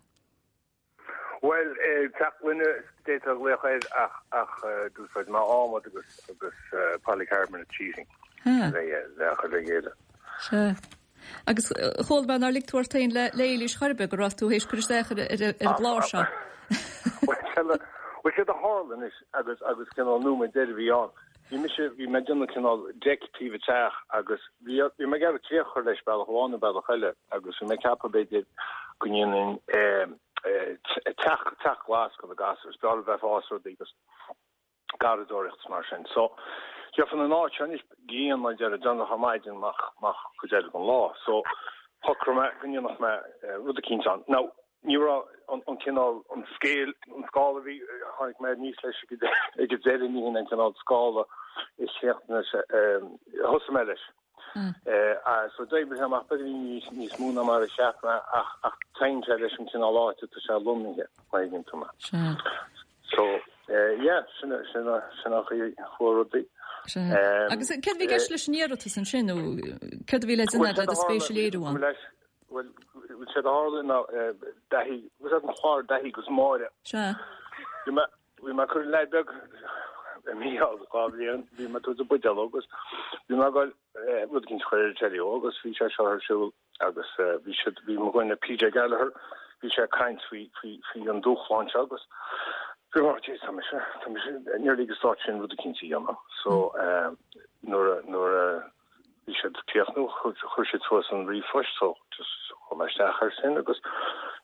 Bhuel, teach gloine d'fhéadfá a ghlaoch air ach ach d'úsáid mé adhmad agus agus polycarbonate sheeting le le chur le chéile. Sea. Agus chuala mé nár lig tú ort féin le le Éilís chor ar bith go raibh tú théis cur isteach ar ar an gclár seo. Bhuel, séard a tharla anois agus agus cineál nóiméad deiridh a bhí ann. Bhí mise, bhí mé ag déanamh cineál deic taobh an teach agus bhí, bhí mé ag iarraidh críoch a chur leis bealach amháin nó bealach eile agus bhí mé ag ceapadh b'fhéidir go ndéanfainn teach, teach glas do na gasúir, is breá leo bheith ag fás rudaí agus garraíodóireacht is mar sin. So, gheofainn an áit seo anois grian mar a déarfá déanach ar maidin amach, amach cuid eile den lá. So, shocraigh mé go ndéanfadh mé rud eicínt ann. Now, Ní raibh an cineál, an scale, an scála a bhí, tháinig mé aníos leis ag an deireadh, ní hin an cineál scála a chríochnaigh sé, a thosaigh mé leis. So d'oibrigh sé amach beagáinín níos mó ná mar a cheap mé ach ach téann sé leis an cineál áite atá sé lonnaithe, má thuigeann tú mé. So, yeah, sin sin sin an chaoi a chuaigh rudaí. Agus céard a bhí i gceist leis an iarratas ansin nó céard a bhí le déanamh le do spéis a léiriú ann? Bhuel, séard a tharla ná Daithí, was an clár Daithí agus Máire. Sea. Bhí mé, bhí mé ag cur an leaid beag, Mícheál, 2 bhliain, bhí mé ag tabhairt an buidéal dó agus bhí mé ag dul rud eicínt a chur ar an telly dó agus bhí sé seo ar siúl agus bhí siad, bhí mo dhuine PJ Gallagher, bhí sé ag caint faoi, faoi, faoi an dúshlán seo agus bhí mé, jeez, tá mise, tá mise nearly ag an stát sin rud eicínt a dhéanamh. So, nuair a, nuair a, Bhí siad ag críochnú, chuir siad suas an ríomhphost so just chuaigh mé isteach air sin agus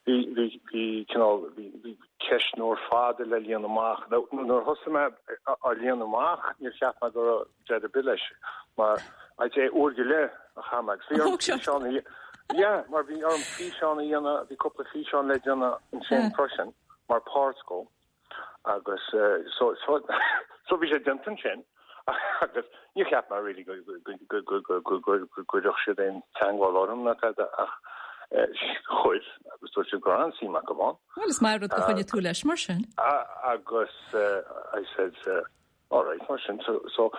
bhí, bhí, bhí cineál, bhí, bhí ceistneoir fada le líonadh amach. Now nuair a thosaigh mé á líonadh amach níor cheap mé go raibh deireadh ar bith leis mar I'd say uair go leith a chaith mé agus bhí orm físeán a yeah, mar bhí orm físeán a dhéanamh, bhí cúpla físeán le déanamh ansin freisin mar páirt dhó. Agus so so so bhí sé déanta ansin agus níor cheap mé really go go go go go go go gcuirfeadh siad aon teagmháil orm ná tada ach chuir agus dúirt siad go raibh an-suim acu ann. Bhuel is maith rud gur choinnigh tú leis mar sin. Agus I said all right mar sin so so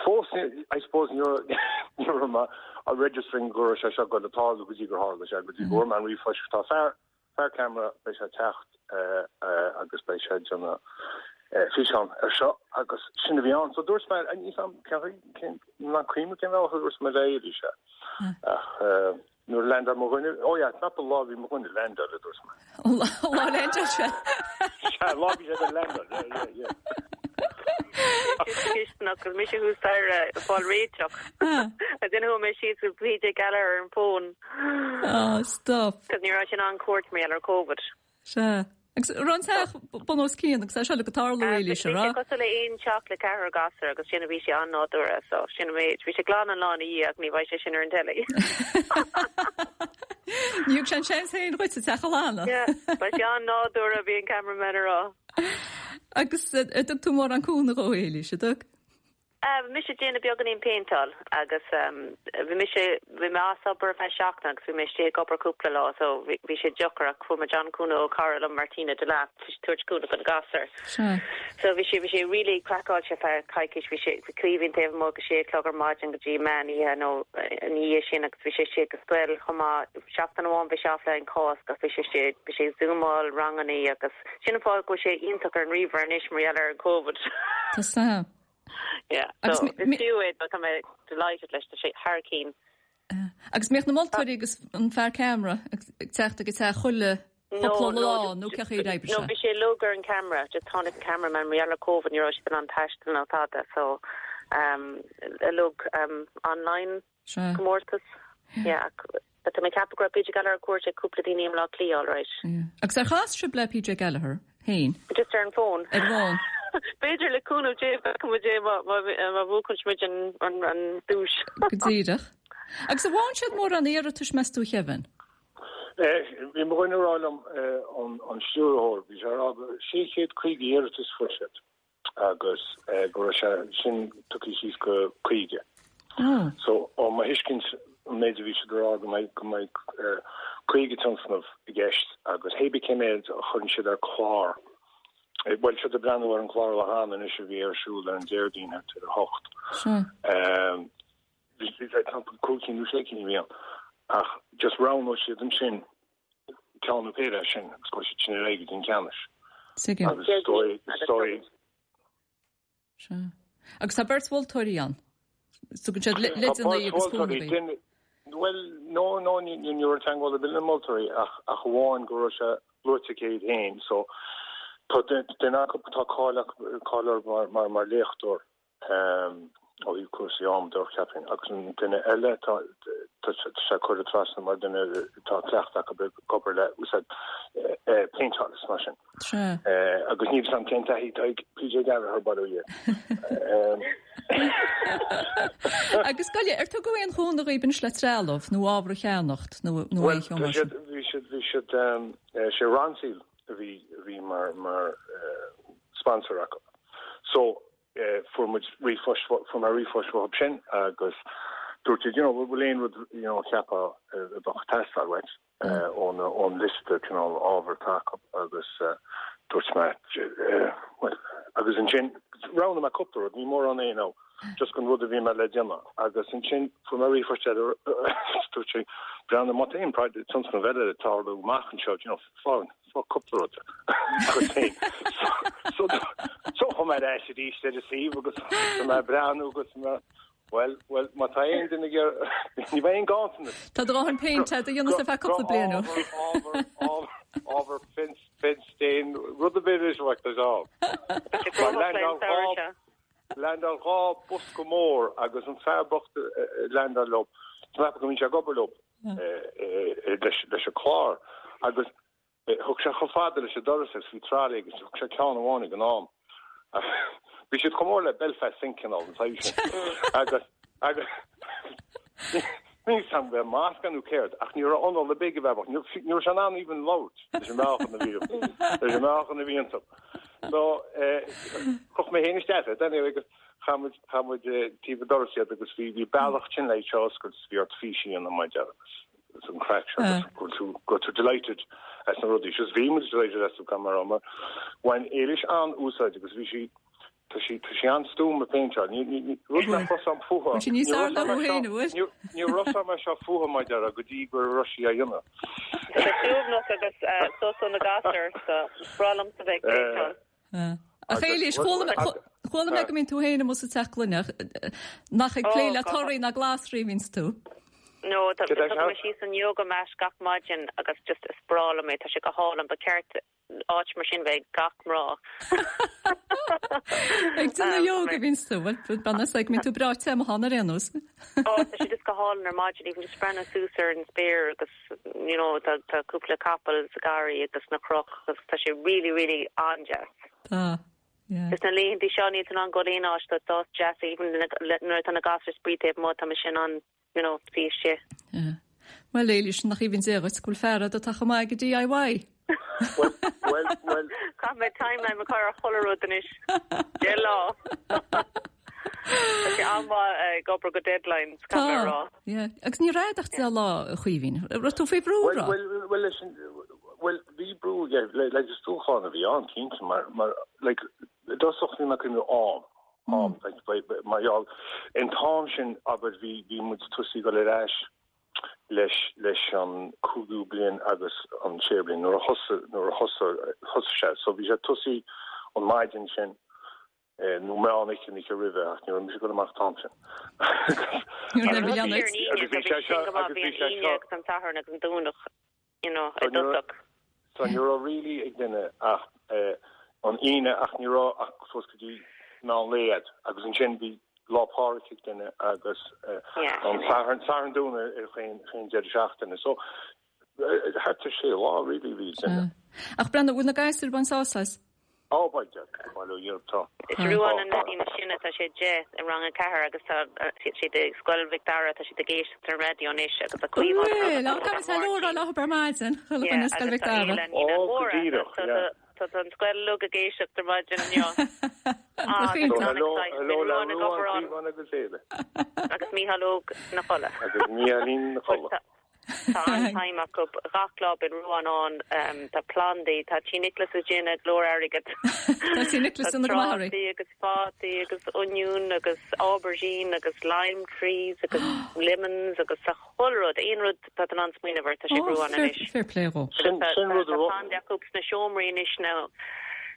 fós I suppose ní raibh mé registering go raibh sé seo ag dul a tarlú go dtí gur tharla sé go dtí go bhfuair mé an ríomhphost tá fear Fear ceamara, beidh sé ag teacht agus beidh sé ag déanamh físeán ar seo agus sin a bhí ann. So dúirt mé, níl 'fhios a'm cén, nach cuimhin cén bhealach a dúirt mé le Éilís é. Ach nuair a landáil mo dhuine, oh yeah, not the lá a bhí mo dhuine ag landáil a dúirt mé. Lá a landáil sé. Sea, lá a bhí sé ag landáil, yeah, yeah, yeah. Cisteanach agus mise thuas staighre ag fáil réiteach. Agus then chuaigh mé síos go PJ Gallagher ar an bhfón. Oh, stop. Cos ní raibh sé in ann cuairt mar gheall ar Covid. Sea. Agus raibh an teach bun os cionn agus é seo le go tarlú Éilís, an raibh? Bhí sé cosúil le aon teach le ceathrar gasúr agus sin a bhí sé an-nádúrtha so sin an méid. Bhí sé glan an lá ina dhiaidh ach ní bheidh sé sin ar an telly. Ní thug sé an seans féin dhuit an teach a ghlanadh. Yeah, beidh sé an-nádúrtha a bhí an cameraman a rá. Agus an dtug tú mórán cúnamh dhó, Éilís, an dtug? Bhí mise ag déanamh beagáinín péinteáil agus bhí mise, bhí mé as obair ar feadh seachtain agus bhí mé istigh ag obair cúpla lá so bhí sé deacair ach fuair muid an-cúnamh ó cara liom Martina Delap tabhairt cúnamh do na gasúir. So bhí sé, bhí sé really craiceáilte ar feadh coicís, bhí sé, bhí Caoimhín taobh amuigh go sé a chlog ar maidin go dtí meán oíche nó ina dhiaidh sin agus bhí sé istigh ag scoil chomh maith. Seachtain amháin bhí sé off le an Cásc ach bhí sé istigh, bhí sé ag zúmáil rangannaí agus sin an fáth go bhfuil sé iontach ar an ríomhaire anois mar gheall ar an Covid. Tá sam. Yeah, so is fiú é, tá mé delighted leis, tá sé thar cinn. Agus mbíodh na moltóirí agus an fear ceamara ag teacht ag an teach chuile chúpla lá nó cén chaoi ar oibrigh sé? No, bhí sé uilig ar an camera, just tháinig an cameraman mar gheall ar Covid ní raibh siad in ann taisteal ná tada, so um, uilig um, online comórtas. Yeah, but tá mé ag ceapadh go raibh PJ Gallagher ar cuairt ag cúpla daoine i mBleá Cliath, all right. Yeah. Agus ar chas sibh le PJ Gallagher féin? Just ar an bhfón. Ar an bhfón. B'fhéidir le cúnamh Dé feicfidh muid é má má bhuachann muid an an an duais. Go díreach. Agus an bhfaigheann siad mórán iarratais meas tú a Kevin? Bhí mo dhuine ag rá liom an an stiúrthóir, bhí sé ag rá go 650 iarratas fuair siad. agus go raibh sé sin tugtha síos go 50. So, ó mo thuiscint, an méid a bhí siad a rá go mbeidh go mbeidh 50 tionscnamh i gceist agus hé bí cé méid a chuireann siad ar chlár, bhuel, siad ag breathnú ar an chlár ó cheana anois a bhí ar siúl ar an Déardaoin thart ar a hocht. Bhí cúig cinn nó sé cinn a bhí ann ach just roghnóidh siad ansin ceann nó péire as sin agus gabhfaidh siad sin ar aghaidh go dtí an ceannais. Tuigim. Agus is dóigh, is dóigh. Sea. Agus tá beirt mholtóirí ann. Tugann siad leideanna agus cúnamh daoibh. Bhuel, no, no, ní ní raibh teagmháil ar bith le na moltóirí ach ach amháin go raibh sé luaite aici iad féin. So tá duine acu tá cáil acu cáil orthu mar mar mar léachtóir. ó thaobh cúrsaí ama de, cheapfainn, agus an duine eile, tá sé curtha trasna mar duine tá cleachtadh acu ag obair le úsáid péinteáil is mar sin. Agus níl 'fhios a'm cén taithí atá ag PJ Gallagher by the way. Agus gabh i leith, ar tugadh aon chúnamh dhaoib anois le trealamh nó ábhar a cheannacht nó aon cheo mar sin? Bhuel, bhí siad, bhí siad, sé Ronseal a bhí, a bhí mar, mar sponsor acu. So, fuair muid ríomhphost, fuair mé ríomhphost uathu sin agus dúirt siad, you know, bhfuil aon rud, you know, cheapfá a bheadh ag teastáil uait ón, ón liosta cineál ábhar atá acu agus dúirt mé, bhuel, agus ansin roghnaigh mé cúpla rud, ní mórán é nó just an rud a bhí mé le déanamh agus ansin fuair mé ríomhphost eile dúirt sé, breathnaigh má tá aon tionscnamh eile ag tarlú amach anseo, you know, fág, Tá cúpla rud agat féin. So chuaigh mé ar ais arís ar an suíomh agus tá mé ag breathnú agus mé bhuel, bhuel, má tá aon duine ag iarraidh, ní bheidh aon ganntanas. Tá do dhóthain péinte agat a dhéanamh ar feadh cúpla bliain ó. Ábhar, ábhar, ábhar, fence, fence stain, rud ar bith anois uait, tá sé ann. Landáil dhá bosca mór agus an fear bocht a landáil leo, tá mé ag ceapadh go mbíonn sé ag obair leo leis an chlár agus thug sé chomh fada leis an doras agus bhí trolley agus thug sé ceann amháin ag an am. Bhí siad chomh mór le Belfast Sink cineál an saghas sin agus agus níl 'fhios a'm an masc nó céard ach ní raibh anáil ar bith ag an bhfear bocht, ní raibh sé in ann even labhairt leis an meáchan a bhí leis an meáchan a bhí iontu. So chroch mé féin isteach é anyway agus chaith muid chaith muid taobh an doras iad agus bhí bhí bealach sin le seo oscailt bhí ort fís a dhéanamh mar agus an craic seo agus go tú go tú delighted as na rudaí. Just bhí muid delighted as an camera mar bhain Éilis an-úsáid agus bhí sí tá sí tá sí an-stuama ag péinteáil. Ní ní ní rud nach raibh 'fhios a'm fúithi. Bhfuil sí níos fearr ná thú féin, an bhfuil? Ní raibh 'fhios a'm é seo fúithi mar a déarfá go dtí go raibh sí á dhéanamh. Tá sé suaimhneach agus sos ó na gasúir so is breá liomsa bheith ag péinteáil. Ach Éilís, chuala mé chuala mé go mbíonn tú féin amuigh sa teach gloineach nach ag plé le torthaí ná glasraí a bhíonns tú. No, tá tugann mé síos an yoga mat gach maidin agus just is breá liom é, tá sé go hálainn, ba cheart áit mar sin bheith ag gach mná. Ag déanamh yoga a bhíonns tú, bhuel, bean is ag mbíonn tú breá te amuigh ann ar aon nós. Ó, tá sé just go hálainn ar maidin, even just breathnú suas ar an spéir agus, you know, tá tá cúpla capall sa garraí agus na cnoic agus tá sé really, really an-deas. Tá, yeah. Just na laethanta seo níl tú in ann dul aon áit, tá tá deas even nuair atá na gasúir ag spraoi taobh amuigh, tá mise in ann you know, suí istigh. Yeah. Bhuel, Éilís, nach aoibhinn Dé dhuit go bhfuil fear agat atá chomh maith ag DIY. Bhuel, bhuel, bhuel. Caithfidh mé timeline a chur ar chuile rud anois. Deich lá. Tá sé an-mhaith ag obair go deadlines, caithfidh mé a rá. Tá, yeah. Agus ní raibh ach 10 lá, a Chaoimhín. Raibh tú faoi bhrú, an raibh? Bhuel, bhuel, leis an, bhuel, bhí brú, yeah, like, is dúshlán a bhí ann, cinnte, mar, mar, like, i dtosach bhí mé ag cuimhneamh am, am, like, mar gheall, an t-am sin, abair, bhí, bhí muid tosaí ag dul ar ais leis, leis an cúigiú bliain agus an séú bliain, nuair a thosaigh, nuair a thosaigh, thosaigh sé, so bhí sé tosaí an maidin sin, nó meán oíche an oíche roimhe ach ní raibh mise ag dul amach an t-am sin. Ní raibh a leanaí. Agus bhí sé seo, agus bhí sé seo. Agus an Satharn agus an Domhnach, you know, i dtosach. So ní raibh really ag duine ach an Aoine ach ní raibh ach suas go dtí meán lae agat agus ansin bhí Lá Pádraig ag duine agus an Satharn, Satharn Domhnach ar chaon deireadh seachtaine. So thart ar sé lá really bhí ag duine. Ach Breandán, bhfuil na gasúir ag baint sásamh as? Á, beidh, bail ó Dhia orthu, tá. Is Ruán an leaidín is sine, tá sé 10 i rang 4 agus tá siad i Scoil Mhic Dara, tá siad ag éisteacht ar an raidió anois agus tá Caoimhín Bhuel, á, caithfidh mé hello a rá leo ar maidin, chuile dhuine i Scoil Mhic Dara. Ó, go díreach, yeah. Tá an scoil uilig ag éisteacht ar maidin inniu. Á, tá hello, hello le Ruán, Caoimhín agus Éile. Agus Mícheál Óg 'na chodladh. Agus Mícheálín 'na chodladh. Tá an-time acu. Gach lá bíonn Ruán ann. Tá plandaí, tá Tí Nicholas ag déanamh go leor airgid. Tá Tí Nicholas ag déanamh go maith oraibh. Tá trátaí agus fataí agus oinniún agus aubergine agus lime trees agus lemons agus tá chuile rud, aon rud atá tú in ann smaoineamh air, tá sé ag Ruán anois. Fair play dhó. Sin rud a Tá plandaí acu sna seomraí anois now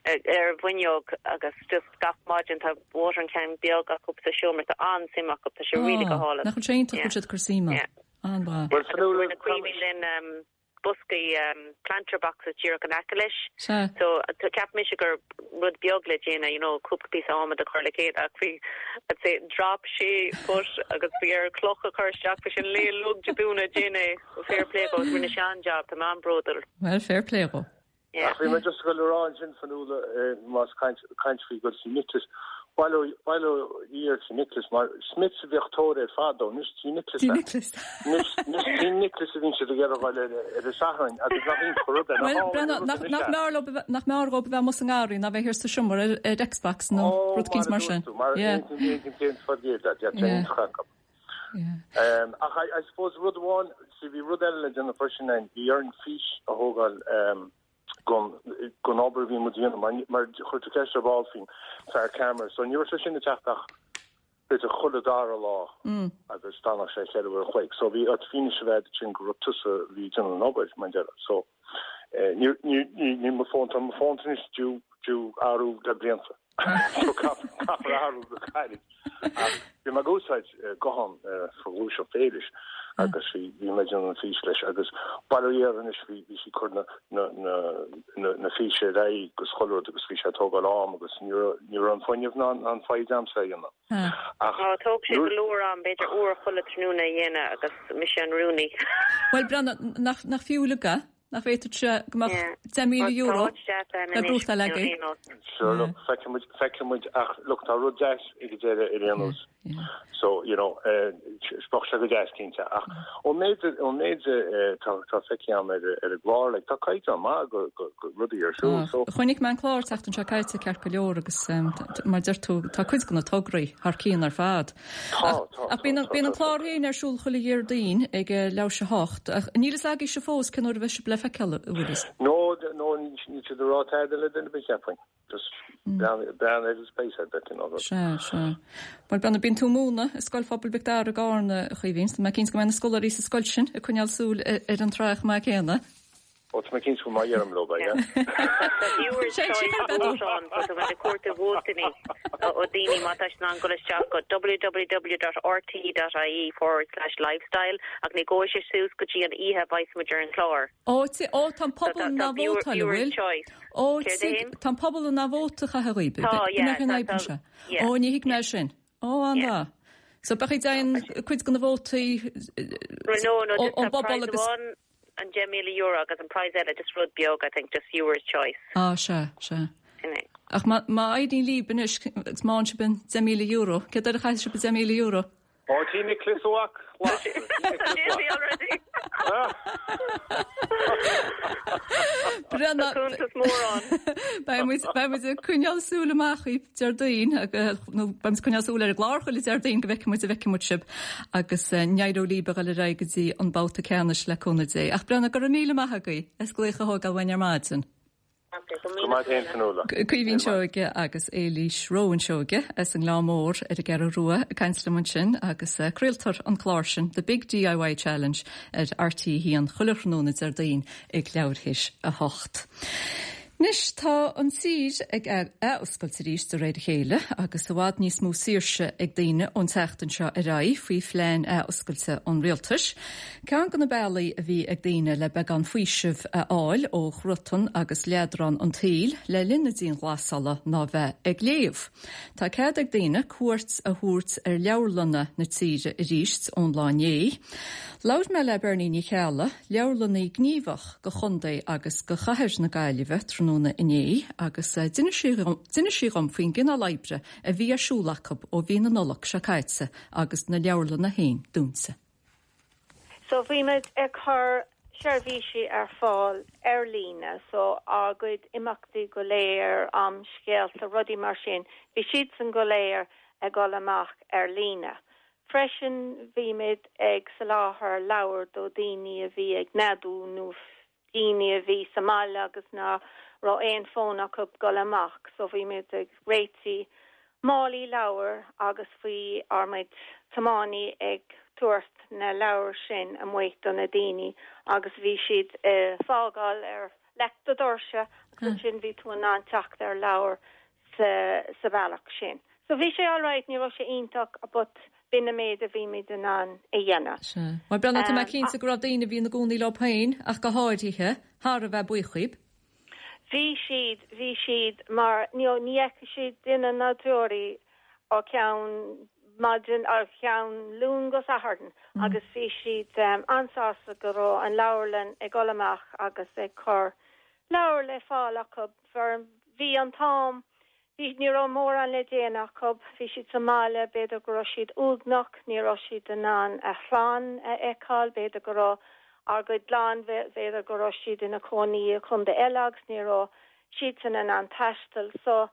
ar an bhfuinneog agus just gach maidin tá watering can beag acu sa seomra. Tá an-suim acu, tá sé really go hálainn. Nach bhfuil sé iontach go bhfuil siad ag cur suim ann. An-mhaith. Agus rinne Caoimhín linn boscaí planter boxes díreach in aice leis. Sea. So cheap mise gur rud beag le déanamh, you know, cúpla píosa adhmaid a chur le chéile ach bhí, I'd say, drop sé foot agus bhí air cloch a chur isteach, bhí sé an lae uilig Dé Domhnaigh ag déanamh é. Fair play dhó, rinne sé an-job, tá mé an-bhródúil. Well, fair play dhó. Ach bhí mé just ag dul a rá ansin, Fionnuala, más caint faoi dul Tí Nicholas, bail ó Dhia ar Tí Nicholas, mar Smiths a bhíodh tóir air fadó, anois Tí Nicholas é. Tí Nicholas. Anois Tí Nicholas a bhíonn siad ag iarraidh a dhul ar an Satharn agus nach iontach an rud é, nach álainn an rud anois é. Nach mb'fhearr dhóibh a bheith amuigh sa ngarraí ná bheith thiar sa seomra ar Xbox nó rud eicínt mar sin. Ó, mar a dúirt tú, mar aon cén fad iad, yeah, tá iontach acu. Ach I suppose rud amháin, see bhí rud eile le déanamh freisin againn, bhí orainn fís a thógáil gon, gon obair a bhí muid a dhéanamh mar, mar chuir tú ceist ar ball faoin fear ceamara, so ní raibh sé sin ag teacht ach b'fhéidir chuile dara lá agus d'fhanadh sé cheithre uair a chloig. So bhí ort fianaise a bheith agat sin go raibh tusa a bhí ag déanamh an obair mar deireadh. So ní, ní, ní, ní mo fón, tá mo fón anois due, due athrú le blianta. So caithfear athrú go gairid. Ach bhí mé ag úsáid guthán for Ghluaiseacht Éilis agus bhí bhí mé ag déanamh an fís leis agus bail ó Dhia air anois bhí bhí sí ag cur na na na na na físe ar aghaidh agus chuile rud agus bhí sé ag tógáil am agus ní raibh ní raibh an fuinneamh ná an foighid a'msa é a dhéanamh. Ach Ó, thóg sé go leor am, b'fhéidir uair chuile tráthnóna a dhéanamh agus mise an rúnaí. Bhuel, Breandán, nach nach fiú uilig é? Nach bhféadfadh sé go mbeadh €10,000 le gnóthachtáil agaibh? Sure, look, feicfidh muid, feicfidh muid, ach look, tá rud deas ag an deireadh ar aon nós. So, you know, bheadh sé go deas cinnte, ach ón méid, ón méid tá, tá feicthe agam ar, ar an gclár, like, tá caighdeán maith go, go, go rudaí ar siúl, so. Chonaic mé an clár an tseachtain seo caite ceart go leor agus mar deir tú, tá cuid de na tograí thar cionn ar fad. Tá, tá, Ach bíonn an, bíonn an clár féin ar siúl chuile Dhéardaoin ag leathuair théis a hocht, ach níl fhios agaibhse fós cén uair a bheidh sibh le feiceáil, an bhfuil fhios? No, no, níl siad ag rá tada le duine ar bith, cheapfainn. Just breathnaigh, breathnaigh ar an space ar bith, you know. Sea, sea. Bhuel, Breandán, bíonn tú ag múineadh i Scoil Phobail Mhic Dara i gCarna, a Chaoimhín, so tá mé cinnte go mbeidh na scoláirí sa scoil sin ag coinneáil súil ar an tsraith chomh maith céanna. Ó, tá mé cinnte go mbeidh orm leo, beidh, yeah. Tá viewers choice vote ann, so tá muid ag cuartú vótanna ó daoine má tá siad in ann dul isteach go www.rte.ie forward slash lifestyle ach ní ghabhfaidh sé suas go dtí an oíche a bheas muid ar an chlár. Ó, ó, tá an pobal in ann vótáil, an bhfuil? Ó, tá an pobal in ann vóta a chaitheamh dhaoibh. Tá, yeah. B'in an fhadhb anseo. Ó, ní thuig mé sin. Ó, an-mhaith. So beidh ag déanamh cuid de na vótaí ón bpobal agus. An €10,000 agus an prize eile just rud beag I think just viewers choice. Á sea, sea. Sin é. Ach má má éiríonn libh anois agus má fhaigheann sibh an €10,000, céard air a chaithfidh sibh an €10,000? Ó, tí Nicholas Uac. Busy already. Brenna. Cuntas mór ann. Beidh muid beidh muid ag coinneáil súil amach dhaoibh Déardaoin nó beidh muid ag coinneáil súil ar an gclár chuile Déardaoin go bhfeicfidh muid an bhfeicfidh muid sibh agus go n-éireoidh libh a dhul ar aghaidh go dtí an babhta ceannais le cúnamh Dé. Ach Brenna, go raibh míle maith agaibh as glaoch a thógáil uainn ar maidin. Go maith féin, Fionnuala. Caoimhín Seoige agus Éilís Rowan Seoige as an nGleann Mór ar an gCeathrú Rua ag caint liom ansin agus craoltar an clár sin, The Big DIY Challenge, ar RTÉ 1 chuile thráthnóna Déardaoin ag leathuair théis a hocht. Anois tá an tír ag athoscailt arís de réir a chéile agus i bhfad níos mó saoirse ag daoine ón tseachtain seo ar aghaidh faoi phlean athoscailte an rialtais. Ceann de na bealaí a bhí ag daoine le beagán faoisimh a fháil ó chruatan agus leadrán an tsaoil le linn na dianghlasála ná bheith ag léamh. Tá cead ag daoine cuairt a thabhairt ar leabharlanna na tíre arís ón lá inné. Labhair mé le Bernie Ní Cheallaigh, leabharlannaí gníomhach go chontae agus go chathair na Gaillimhe tráthnóna inné agus d'inis sí dhom faoin gcineál oibre a bhí ar siúl acu ó mhí na Nollag seo caite agus na leabharlanna féin dúnta. So bhí muid ag cur seirbhísí ar fáil ar líne, so ár gcuid imeachtaí go léir, am scéalta, rudaí mar sin, bhí siadsan go léir ag dul amach ar líne. Freisin bhí muid ag soláthar leabhar do daoine a bhí ag neadú nó daoine a bhí sa mbaile agus ná raibh aon fón acu dul amach so bhí muid ag réitigh málaí leabhar agus bhí ár gcuid tiománaí ag tabhairt na leabhar sin amuigh do na daoine agus bhí siad ag fágáil ar leic do doirse agus ansin bhí tú in ann teacht ar leabhar sa sa bhealach sin. So bhí sé alright, ní raibh sé iontach but b'in an méid a bhí muid in ann a dhéanamh. Sea. Bhuel Brenna, tá mé cinnte go raibh daoine a bhí ina gcónaí leo féin, ach go háirithe, thar a bheith buíoch dhaoib. Bhí siad, bhí siad mar you know ní fheicfeadh siad duine ná deoraí ó cheann maidin, ó cheann Luan go Satharn agus bhí siad an-sásta go raibh an leabharlann ag dul amach agus ag cur leabhar le fáil acu. For bhí an t-am, bhí, ní raibh mórán le déanamh acu, bhí siad sa mbaile, b'fhéidir go raibh siad uaigneach, ní raibh siad in ann a chlann a fheiceáil, b'fhéidir go raibh ár gcuid clann, b'fhéidir go raibh siad ina cónaí i chontae eile agus ní raibh siadsan in ann taisteal. So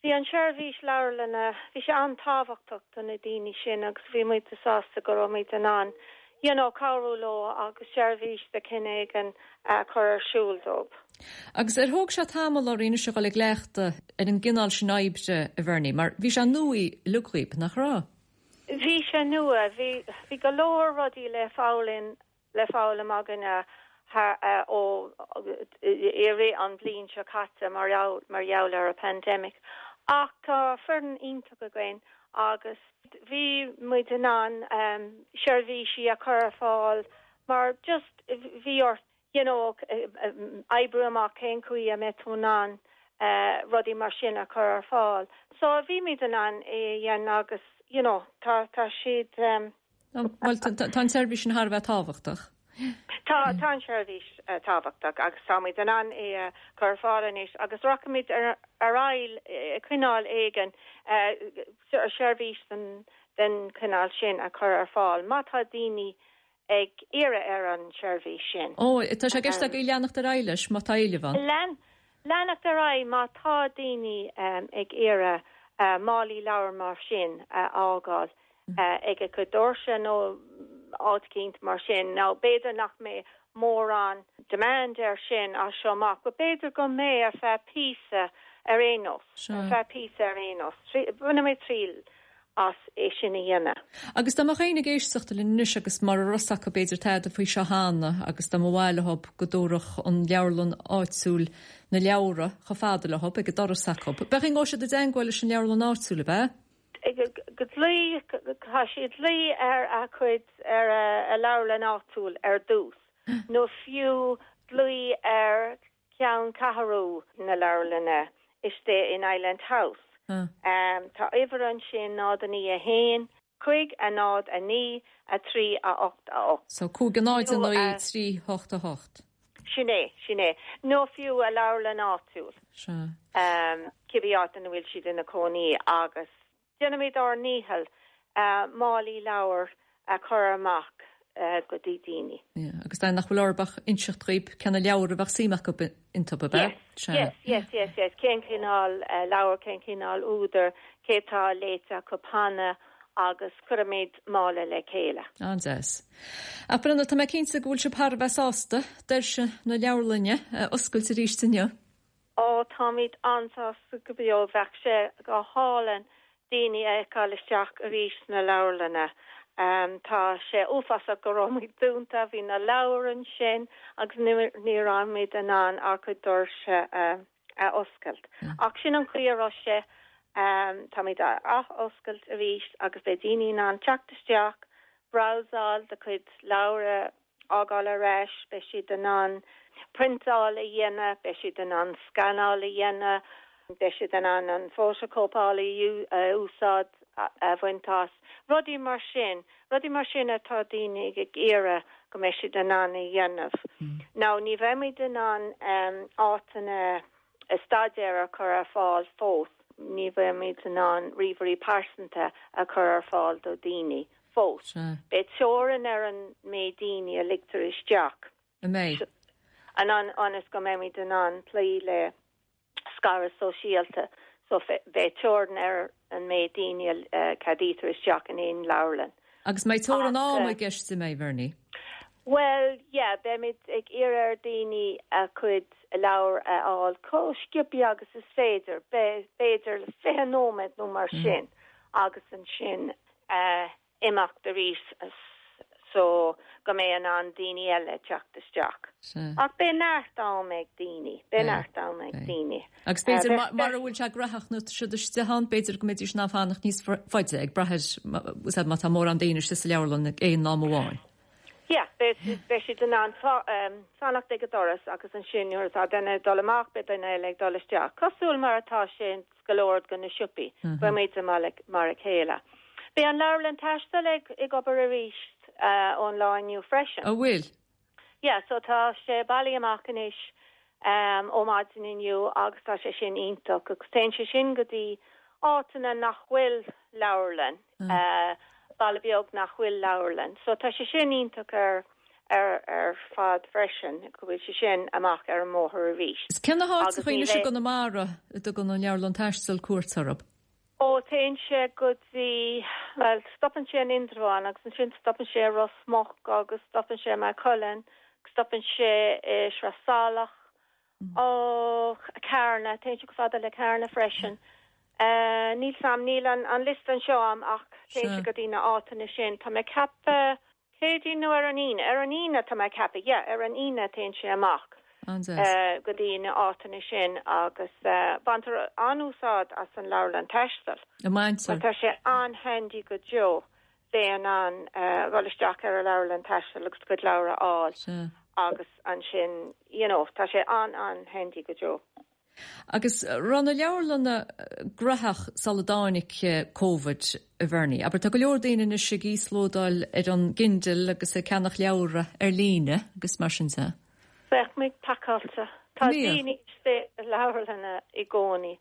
Bhí an seirbhís leabharlainne, bhí sé an-tábhachtach do na daoine sin agus bhí muid sásta go raibh muid in ann you know cabhrú leo agus seirbhís de chineál éigin a chur ar siúl dóibh. Agus ar thóg sé tamall oraibh anois a dhul i gcleachtadh ar an gcineál sin oibre, a Bhernie, mar bhí sé nua uilig dhaoib, nach raibh? Bhí sé nua, bhí, bhí go leor rudaí le foghlaim le foghlaim againne ó i rith an bhliain seo caite mar gheall ar an pandemic. Ach tá foireann iontach againn agus bhí muid in ann seirbhísí a chur ar fáil mar just bhí ort you know oibriú amach cén chaoi a mbeidh tú in ann rudaí mar sin a chur ar fáil. So bhí muid in ann é a dhéanamh agus you know tá tá siad Bhuel, tá an tseirbhís sin thar a bheith tábhachtach. Tá, tá an tseirbhís tábhachtach agus táimid in ann é a chur ar fáil anois agus rachaimid ar aghaidh cineál éigin seirbhís den den chineál sin a chur ar fáil má tá daoine ag iarraidh ar an tseirbhís sin. Ó, tá sé i gceist agaibh leanacht ar aghaidh leis má tá éileamh ann. Lean, leanacht ar aghaidh má tá daoine ag iarraidh málaí leabhar mar sin a fhágáil ag a gcuid doirse nó áit eicínt mar sin. Nó b'fhéidir nach mbeidh mórán demand air sin as seo amach, but b'fhéidir go mbeidh ar feadh píosa ar aon nós, ar feadh píosa ar aon nós. Bainfidh mé triail as é sin a dhéanamh. Agus dá mbeadh éinne ag éisteacht linn anois agus mura raibh fhios acu b'fhéidir tada faoi seo cheana agus dá mba mhaith leo go dtabharfadh an leabharlann áitiúil na leabhra chomh fada leo ag an doras acu, b'é an chaoi a ngabhfaidh siad i dteangmháil leis an leabharlann áitiúil, ab ea? Go dlaoi, tá siad dlaoi ar a cuid, ar a leabharlann áitiúil ar dtús, nó fiú glaoch ar cheanncheathrú na leabharlainne istigh in Island House. Tá uimhir ansin, 0 9 1, 5 0 9 3 8 8. So 5 0 9 3 8 8. Sin é, sin é. Nó fiú a leabharlann áitiúil. Sea. Cibé áit ina bhfuil siad ina cónaí agus déanaimid ár ndícheall. Málaí leabhar a chur amach go dtí daoine. Yeah, agus dóigh nach bhfuil orthu ach inseacht dhaoib cé na leabhair a bheadh suim acu iontu, ab ea? Yes, yes, yes, yes, cén cineál leabhar, cén cineál údar, cé tá léite acu cheana agus cuirimid mála le chéile. An-deas. Ach Brenda, tá mé cinnte go bhfuil sibh thar a bheith sásta doirse na leabharlainne a oscailt arís inniu. Ó, táimid an-sásta go deo. Bheadh sé go hálainn daoine a fheiceáil isteach arís sna leabharlanna. Tá sé uafásach go raibh muid dúnta, bhí na leabhair ansin agus ní raibh muid in ann ár gcuid doirse a oscailt. Ach sin an chaoi a raibh sé. Táimid á ath-oscailt arís agus beidh daoine in ann teacht isteach, brabhsáil do chuid leabhar a fhágáil ar ais, beidh siad in ann priontáil a dhéanamh, beidh siad in ann scanáil a dhéanamh, beidh siad in ann an fótachóipeálaí a úsáid a bhaint as, rudaí mar sin, rudaí mar sin atá daoine ag iarraidh go mbeidh siad in ann a dhéanamh. Now ní bheimid in ann áiteanna staidéir a chur ar fáil fós, ní bheimid in ann ríomhairí pearsanta a chur ar fáil do dhaoine. fós. Beidh teorainn ar an méid daoine a ligtear isteach. An mbeidh? An ionas go mbeimid in ann cloí le scaradh sóisialta so beidh teorainn ar an méid daoine a ceadaítear isteach in aon leabharlann. Agus mbeidh teorainn ama i gceist, an mbeidh, Bhernie? Bhuel, yeah, beimid ag iarraidh ar daoine a gcuid leabhar a fháil chomh sciobtha agus is féidir, b'fhéidir 20 nóiméad nó mar sin, agus ansin imeacht arís so go mbeidh in ann daoine eile teacht isteach. Ach beidh neart am ag daoine, beidh neart am ag daoine. Agus b'fhéidir mara bhfuil sé graitheach nuair atá siad istigh ann, b'fhéidir go mbeidís in ann fanacht níos faide ag brath ar má tá mórán daoine istigh sa leabharlann ag aon am amháin. Yeah, beidh siad in ann fanacht ag an doras agus ansin nuair atá duine ag dul amach beidh duine eile ag dul isteach. Cosúil mar atá sé in go leor de na siopaí. Beimid mar a chéile. Beidh an leabharlann taistil ag ag obair arís ón lá inniu freisin. An bhfuil? Yeah, so tá sé bailithe amach anois ó maidin inniu agus tá sé sin iontach agus téann sé sin go dtí áiteanna nach bhfuil leabharlann, baile beag nach bhfuil leabharlann. So tá sé sin iontach ar ar ar fad freisin, go bhfuil sé sin amach ar an mbóthar arís. Is cé na háiteacha anois i gConamara a dtugann an Leabharlann Taistil cuairt orthu? Ó, téann sé go dtí, bhuel, stopann sé in Indreabhán agus ansin stopann sé i Ros Muc agus stopann sé i Maigh Cuilinn, stopann sé i Sraith Salach, ó, Carna, téann sé chomh fada le Carna freisin. Níl 's a'm, níl an liosta anseo a'm ach téann sé go dtí na áiteanna sin. Tá mé ag ceapadh Céadaoin nó ar an Aoine? Ar an Aoine tá mé ag ceapadh, yeah, ar an Aoine téann sé amach go dtí na áiteanna sin agus baintear an-úsáid as an leabharlann taistil. An mbaintear? Tá sé an-handy go deo bheith in ann dhul isteach ar an leabharlann taistil agus do chuid leabhar a fháil agus ansin, you know, tá sé an-an-handy go deo. Agus raibh na leabharlanna graitheach sula dtáinig Covid, a Bhernie? Abair, tá go leor daoine anois ag íoslódáil ar an gKindle agus ag ceannach leabhra ar líne agus mar sin de. Bheadh muid pacáilte. Tá daoine istigh i leabharlanna i gcónaí.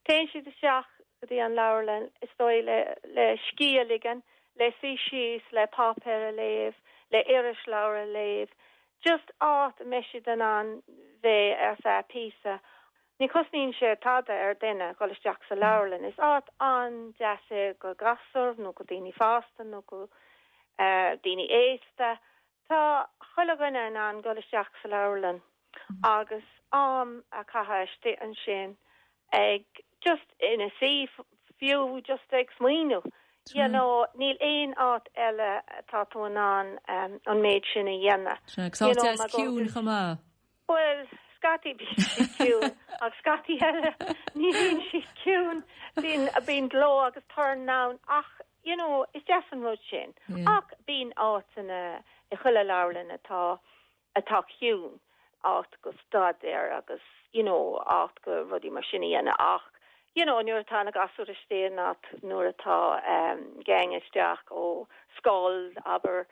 Téann siad isteach go dtí an leabharlann, is dóigh, le le scíth a ligean, le suí síos, le páipéar a léamh, le irisleabhar a léamh. Just áit a mbeidh siad in ann bheith ar feadh píosa. Ní chosnaíonn sé tada ar duine dhul isteach sa leabharlann. Is áit an-deas é go gasúir nó go daoine fásta nó go daoine aosta. Tá chuile dhuine in ann dhul isteach sa leabharlann agus am a chaitheamh istigh ansin ag just ina suí fiú just ag smaoineamh you know níl aon áit eile atá tú in ann an méid sin a dhéanamh. Sea, agus áit deas ciúin chomh maith. Bhuel, scaití bíonn siad ciúin ach scaití eile ní bhíonn siad ciúin, bíonn bíonn gleo agus torann ann ach you know is deas an rud sin. Ach bíonn áiteanna i chuile leabharlann atá atá ciúin, áit go staidéar agus you know áit go rudaí mar sin a dhéanamh ach you know nuair atá na gasúir istigh nó nuair atá gang isteach ó scoil abair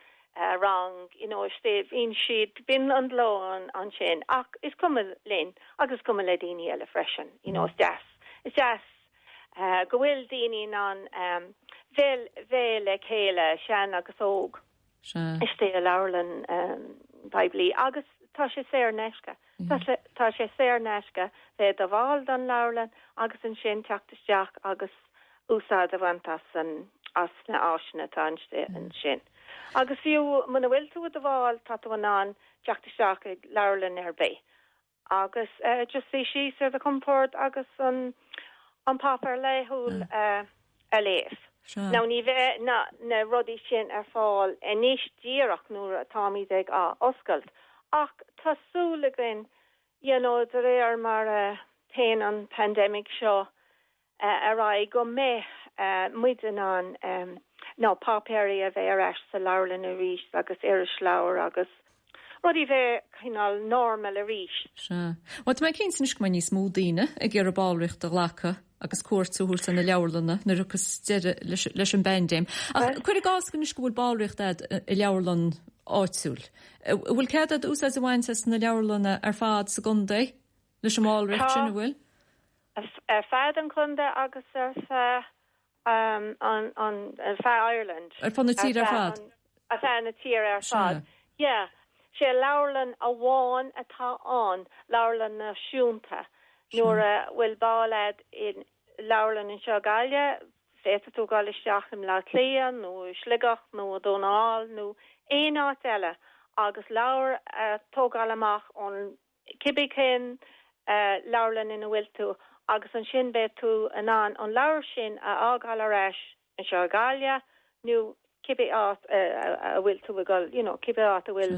rang you know istigh bíonn siad bíonn an gleo ansin ach is cuma linn agus is cuma le daoine eile freisin you know is deas is deas. go bhfuil daoine in ann bheith bheith le chéile, sean agus óg, istigh i leabharlann poiblí agus tá sé saor in aisce. Tá sé saor in aisce bheith i do bhall don leabharlann agus ansin teacht isteach agus úsáid a bhaint as an as na áiseanna atá ansin. Agus fiú muna bhfuil tú i do bhall tá tú in ann teacht isteach ag leabharlann ar bith agus just suí síos ar do chompord agus an an páipéar laethúil a léamh. Now ní bheidh na na rudaí sin ar fáil anois díreach nuair atáimid ag athoscailt ach tá súil againn you know de réir mar a théann an pandemic seo ar aghaidh go mbeidh muid in ann na páipéirí a bheith ar ais sa leabharlann arís agus irisleabhair agus rudaí bheith cineál normal arís. Sea. Bhuel, tá mé cinnte anois go mbeidh níos mó daoine ag iarraidh ballraíocht a ghlacadh agus cuairt a thabhairt ar na leabharlanna nuair a thiocfas deireadh leis an bpaindéim. Ach cuir i gcás anois go bhfuil ballraíocht agat i leabharlann áitiúil. An bhfuil cead agat úsáid a bhaint as na leabharlanna ar fad sa gcontae leis an mballraíocht sin, an bhfuil? Ar feadh an chontae agus ar feadh an ar feadh Ireland. Ar fud na tíre ar fad? Ar feadh na tíre ar fad. Yeah. Sé leabharlann amháin atá ann, leabharlann náisiúnta. Nuair a bhfuil ball a'd i leabharlann anseo i Gaillimh, féadfaidh tú dul isteach i mBleá Cliath nó i Sligeach nó i Dún na nGall nó aon áit eile agus leabhar a tógáil amach ón cibé cén leabharlann ina bhfuil tú agus ansin beidh tú in ann an leabhar sin a fhágáil ar ais anseo i Gaillimh nó cibé áit a bhfuil tú ag dul, you know, cibé áit a bhfuil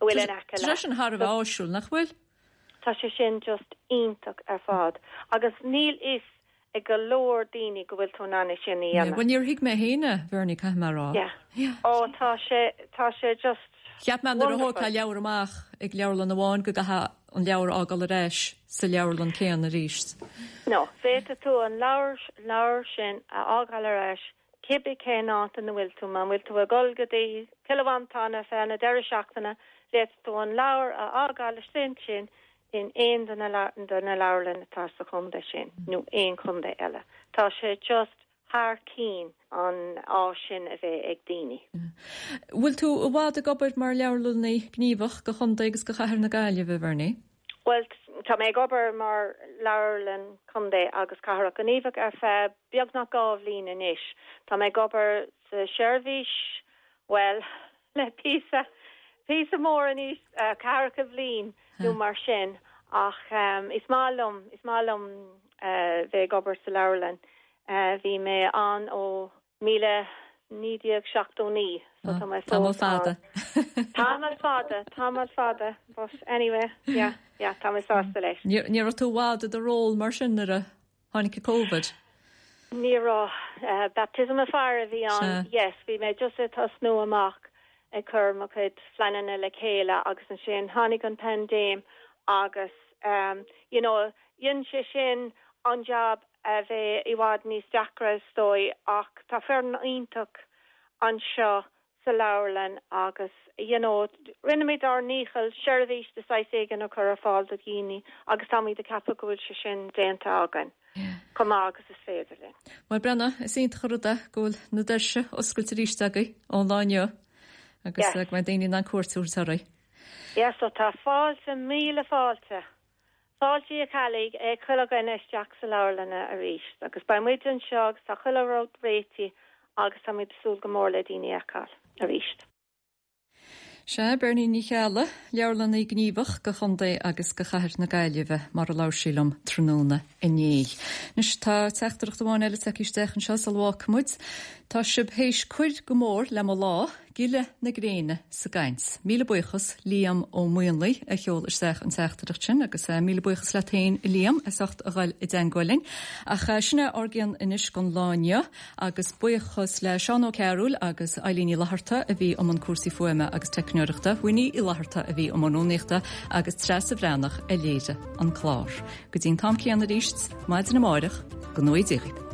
a bhfuil in aice leat. Tá sé sin thar a bheith áisiúil, nach bhfuil? Tá sé sin just iontach ar fad agus níl fhios ag go leor daoine go bhfuil tú in ann é sin a dhéanamh. Bhuel, níor thuig mé féin é, Bhernie, caithfidh mé a rá. Yeah. Ó, tá sé, tá sé just Cheap mé nuair a thógfá leabhar amach ag leabharlann amháin go gcaithfeá an leabhar a fhágáil ar ais sa leabharlann céanna arís. No, féadfaidh tú an leabhar, leabhar sin a fhágáil ar ais cibé cén áit ina bhfuil tú. Má bhfuil tú ag dul go dtí Cill Mhantáin ar feadh na deireadh seachtaine, féadfaidh tú an leabhar a fhágáil istigh ansin in aon de na de na leabharlanna atá sa chontae sin nó aon chontae eile. Tá sé just thar cinn an áis sin a bheith ag daoine. Bhfuil tú i bhfad ag obair mar leabharlannaí gníomhach do chontae agus do chathair na Gaillimhe, a Bhernie? Bhuel, tá mé ag obair mar leabharlann contae agus cathrach gníomhach ar feadh beagnach 2 bhliain anois. Tá mé ag obair sa seirbhís, bhuel, le píosa, píosa mór anois, ceathracha bhliain nó mar sin ach is maith liom, is maith liom bheith ag obair sa leabharlann. Bhí mé ann ó 1979 so tá mé Tamall fada. Tamall fada, tamall fada, but anyway, yeah, yeah, tá mé sásta leis. Ní raibh tú i bhfad i do ról mar sin nuair a tháinig Covid? Ní raibh. Baptism of fire a bhí ann, yes, bhí mé just ag tosnú amach ag cur mo chuid phleananna le chéile agus ansin tháinig an paindéim agus you know dhein sé sin an job a bheith i bhfad níos deacra is dóigh ach tá foireann iontach anseo sa leabharlann agus you know rinne muid ár ndícheall seirbhís de saghas éigin a chur ar fáil do dhaoine agus táimid ag ceapadh go bhfuil sé sin déanta againn chomh maith agus is féidir linn. Bhuel Brenna, is iontach an rud é go bhfuil na doirse oscailte arís agaibh ón lá inniu agus go mbeidh daoine in ann cuairt a thabhairt oraibh. Yes, so tá fáilte, míle fáilte. Fáilte a Cheallaigh ag chuile dhuine isteach sa leabharlann arís agus beidh muid anseo agus tá chuile rud réitithe agus tá muid ag súil go mór le daoine a fheiceáil arís. Sea, Bernie Ní Cheallaigh, Leabharlannaí Gníomhach do Chontae agus do Chathair na Gaillimhe, mar a labhair sí liom tráthnóna inné. Anois, tá teachtaireacht amháin eile tagtha isteach anseo sula bhfágfaidh muid. Tá sibh théis cur go mór le mo lá. Gile na gréine sa gcaint. Míle buíochas Liam Ó Maonlaí a sheol isteach an teachtaireacht sin agus míle buíochas leat féin a Liam as ucht a ghoil i dteangmháil linn. Ach sin é ár gcion anois don lá inniu agus buíochas le Seán Ó Cearúil agus Eilín Ní Fhlatharta a bhí i mbun cúrsaí fuaime agus teicneoireachta, Winnie Uí Fhlatharta a bhí i mbun rúnaíochta agus Treasa Bhreathnach a léirigh an clár. Go dtí an t-am céanna arís maidin amárach, go ngnóthaí Dia dhaoibh.